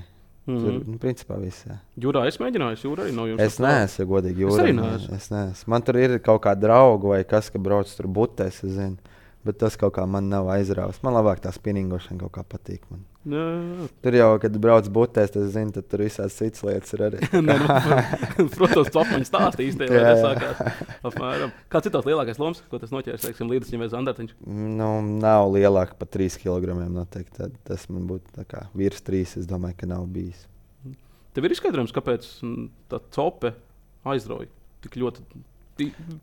Mm-hmm. Tur, nu, principā viss, jā. Jūrā es mēģināju, jūrā arī nav jums. Es neesmu, ja godīgi, jūrā. Es arī neesmu. Es neesmu. Man tur ir kaut kā draugu vai kas, ka brauc tur butēs, es zinu. Bet tas kaut kā man nav aizrāvis. Man labāk tā spinningošana kaut kā patīk. Man. Jā, jā. Tur jau, kad brauc butēs, tas zinu, tad tur visāds cits lietas ir arī. Nē, nu, protams, topaņi stāsti īsti, lai tas sākās. Apmēram. Kāds ir tās lielākais loms, ko tas noķērs, teiksim, Līdasņiem vai Zandartiņš? Nu, nav lielāk par trīs kilogramiem noteikti. Tad tas man būtu tā kā virs trīs, es domāju, ka nav bijis. Tev ir izskaidrojums, kāpēc tā cope aizrauja tik ļoti.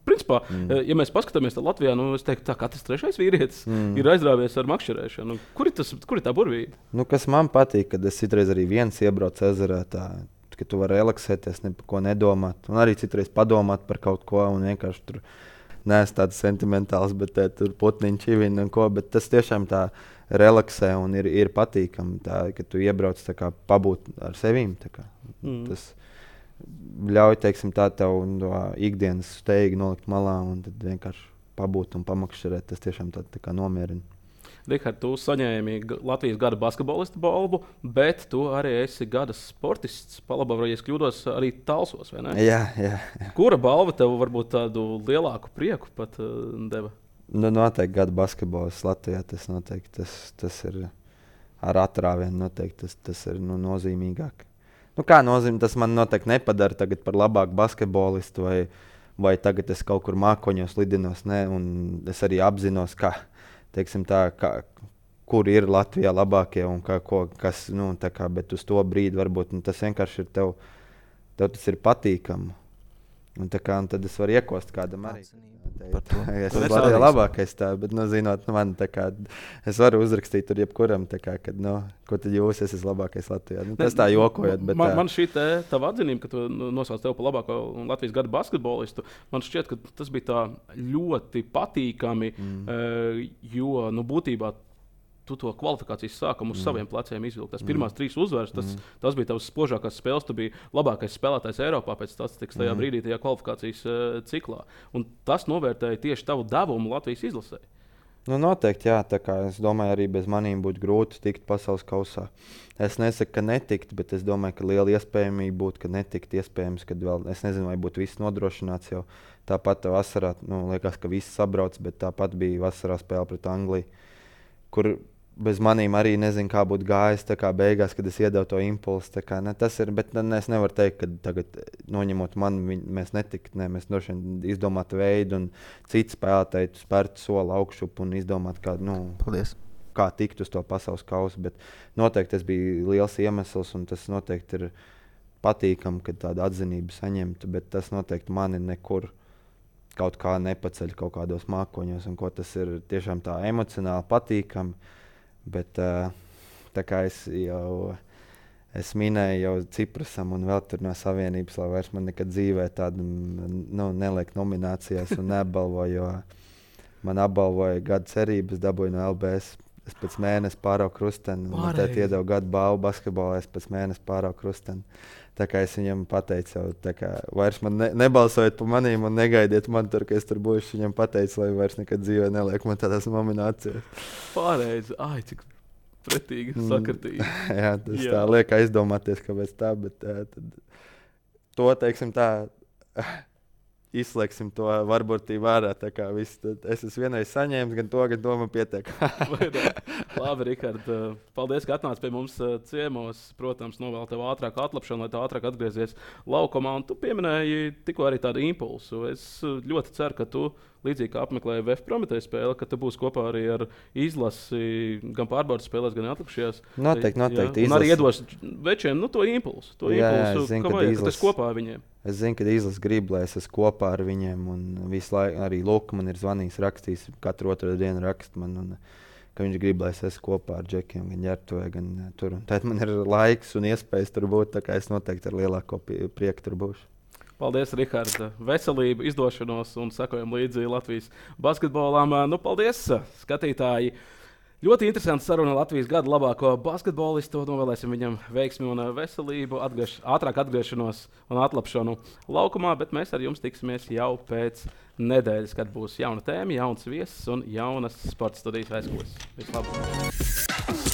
Principā, mm. ja mēs paskatāmies Latvijā, nu, es teiktu, tā katrs trešais vīrietis mm. ir aizrāvies ar makšķerēšanu. Kur ir, tas, kur ir tā burvība? Nu, kas man patīk, kad es citreiz arī viens iebraucu ezerā, tā, ka tu vari relaksēties, ne par ko nedomāt. Un arī citreiz padomāt par kaut ko un vienkārši tur neesmu tāds sentimentāls, bet tā, tur putniņi čivina un ko. Bet tas tiešām tā relaksē un ir, ir patīkami, tā, ka tu iebrauc tā kā pabūt ar sevīm. Tā kā. Mm. Tas ļauj, teiksim, tā tev no ikdienas steigi nolikt malā un tad vienkārši pabūt un pamakšķerēt. Tas tiešām tā, tā kā nomierina. Rihard, tu saņēmi Latvijas gada basketbolista balvu, bet tu arī esi gada sportists. Palabā, ja es kļūdos, arī Talsos, vai ne? Jā, jā, jā. Kura balva tev varbūt tādu lielāku prieku pat uh, deva? Nu, noteikti gada basketbolists Latvijā. Tas noteikti tas, tas ir ar atrāvienu. Noteikti tas, tas ir nu, nozīmīgāk. Nu, kā nozīmē, tas man noteikti nepadara tagad par labāku basketbolistu vai, vai tagad es kaut kur mākoņos lidinos. Ne, un es arī apzinos, ka teiksim tā, kā, kur ir Latvijā labākie un kā, ko, kas, nu, tā kā, bet uz to brīdi varbūt nu, tas vienkārši ir tev, tev tas ir patīkami. Un, tā kā, un tad es varu iekost kādam arī. Es esmu Latvijā labākais tā, bet, nu, zinot, nu, man tā kā, es varu uzrakstīt tur jebkuram, tā kā, kad, nu, ko tad jūs, es esmu labākais Latvijā. Nu, tas tā jokojot, bet man, tā. Man šī te, tava atzinība, ka tu nosauc tev par labāko Latvijas gada basketbolistu, man šķiet, ka tas bija tā ļoti patīkami, mm. jo, nu, būtībā tu to kvalifikācijas sākumu uz mm. saviem pleciem izvilkt. Tas pirmās mm. trīs uzvaras, tas, mm. tas bija tavs spožākās spēles. Tu biji labākais spēlētājs Eiropā pēc statistikas tajā mm. brīdī, tajā kvalifikācijas uh, ciklā. Un tas novērtēja tieši tavu devumu Latvijas izlasē. Nu, noteikti, jā. Tā kā es domāju, arī bez manīm būtu grūti tikt pasaules kausā. Es nesaku, ka netikt, bet es domāju, ka liela iespējamība būtu, ka netikt iespējams, kad vēl, es nezinu, vai būtu viss nodrošināts jau. Tāpat vasarā, nu, liekas, ka viss sabrauc, bet tāpat bija vasarā spēle pret Angliju, kur bez manīm arī nezinu, kā būtu gājis, tā kā beigās, kad es iedevu to impulsu. Tā kā, ne, tas ir, bet ne, es nevaru teikt, ka tagad noņemot mani, viņ, mēs netikt, ne, mēs droši vien izdomātu veidu un citu spēlētāju spērt soli augšup un izdomāt, kā, nu, Paldies. kā tikt uz to pasaules kausu. Bet noteikti tas bija liels iemesls un tas noteikti ir patīkami, kad tādu atzinību saņemtu, bet tas noteikti mani nekur kaut kā nepaceļ kaut kādos mākoņos un ko tas ir tiešām tā emocionāli patīkami. Bet uh, tā kā es jau es minēju jau Ciprasam un vēl tur no Savienības, lai vairs man nekad dzīvē tādu nu, neliek nominācijās un neapbalvo, jo man apbalvoja gada cerības, dabūju no L B S. Es pēc mēnesi pārauku krusteni, un man tēt iedevu gadu balvu basketbolā, es pēc mēnesi pārauku krusteni. Tā kā es viņam pateicu, jau, tā kā vairs man ne, nebalsojiet par manīm un negaidiet man tur, ka es tur būšu. Viņam pateicu, lai vairs nekad dzīvē neliek man tādās nominācijās. Pārējais, ai, cik pretīgi, sakartīgi. Mm, jā, tas jā. Tā liek aizdomāties, kāpēc tā, bet tā, tad, to, teiksim tā, izslēgsim to varbūtību ārā. Viss, es esmu vienreiz saņēmis, gan to, gan to man pietiek. Labi, Rihard, paldies, ka atnāci pie mums ciemos. Protams, novēl tev ātrāku atlapšanu, lai tu ātrāk atgriezies laukumā. Un tu pieminēji tikko arī tādu impulsu. Es ļoti ceru, ka tu, līdzīgi kā apmeklēji V F Prometēja spēli, ka tu būsi kopā arī ar izlasi gan pārbaudas spēlēs, gan atlikušies. Noteikti, noteikti. Un arī iedos večiem nu, to impulsu. To jā, impulsu, jā, zinu, ka vajag, ka tu esi kopā ar viņiem. Es zinu, ka izlase grib, lai es esmu kopā ar viņiem. Un visu laiku arī Luka man ir zvanījis, rakstījis, katru otru dienu rakst man. Un, ka viņš grib, lai es esmu kopā ar Džekiem, gan Ģertuvē, gan tur. Tad man ir laiks un iespējas tur būt, tā kā es noteikti ar lielāko prieku tur būšu. Paldies, Rihard. Veselību, izdošanos un sekojam līdzi Latvijas basketbolam. Nu, paldies, skatītāji! Ļoti interesanti saruna Latvijas gada labāko basketbolistu. Novēlēsim viņam veiksmi un veselību, atgriež, ātrāk atgriešanos un atlapšanu laukumā, bet mēs ar jums tiksimies jau pēc nedēļas, kad būs jauna tēma, jauns viesis un jaunas sporta studijas aizkulis. Vislabāk!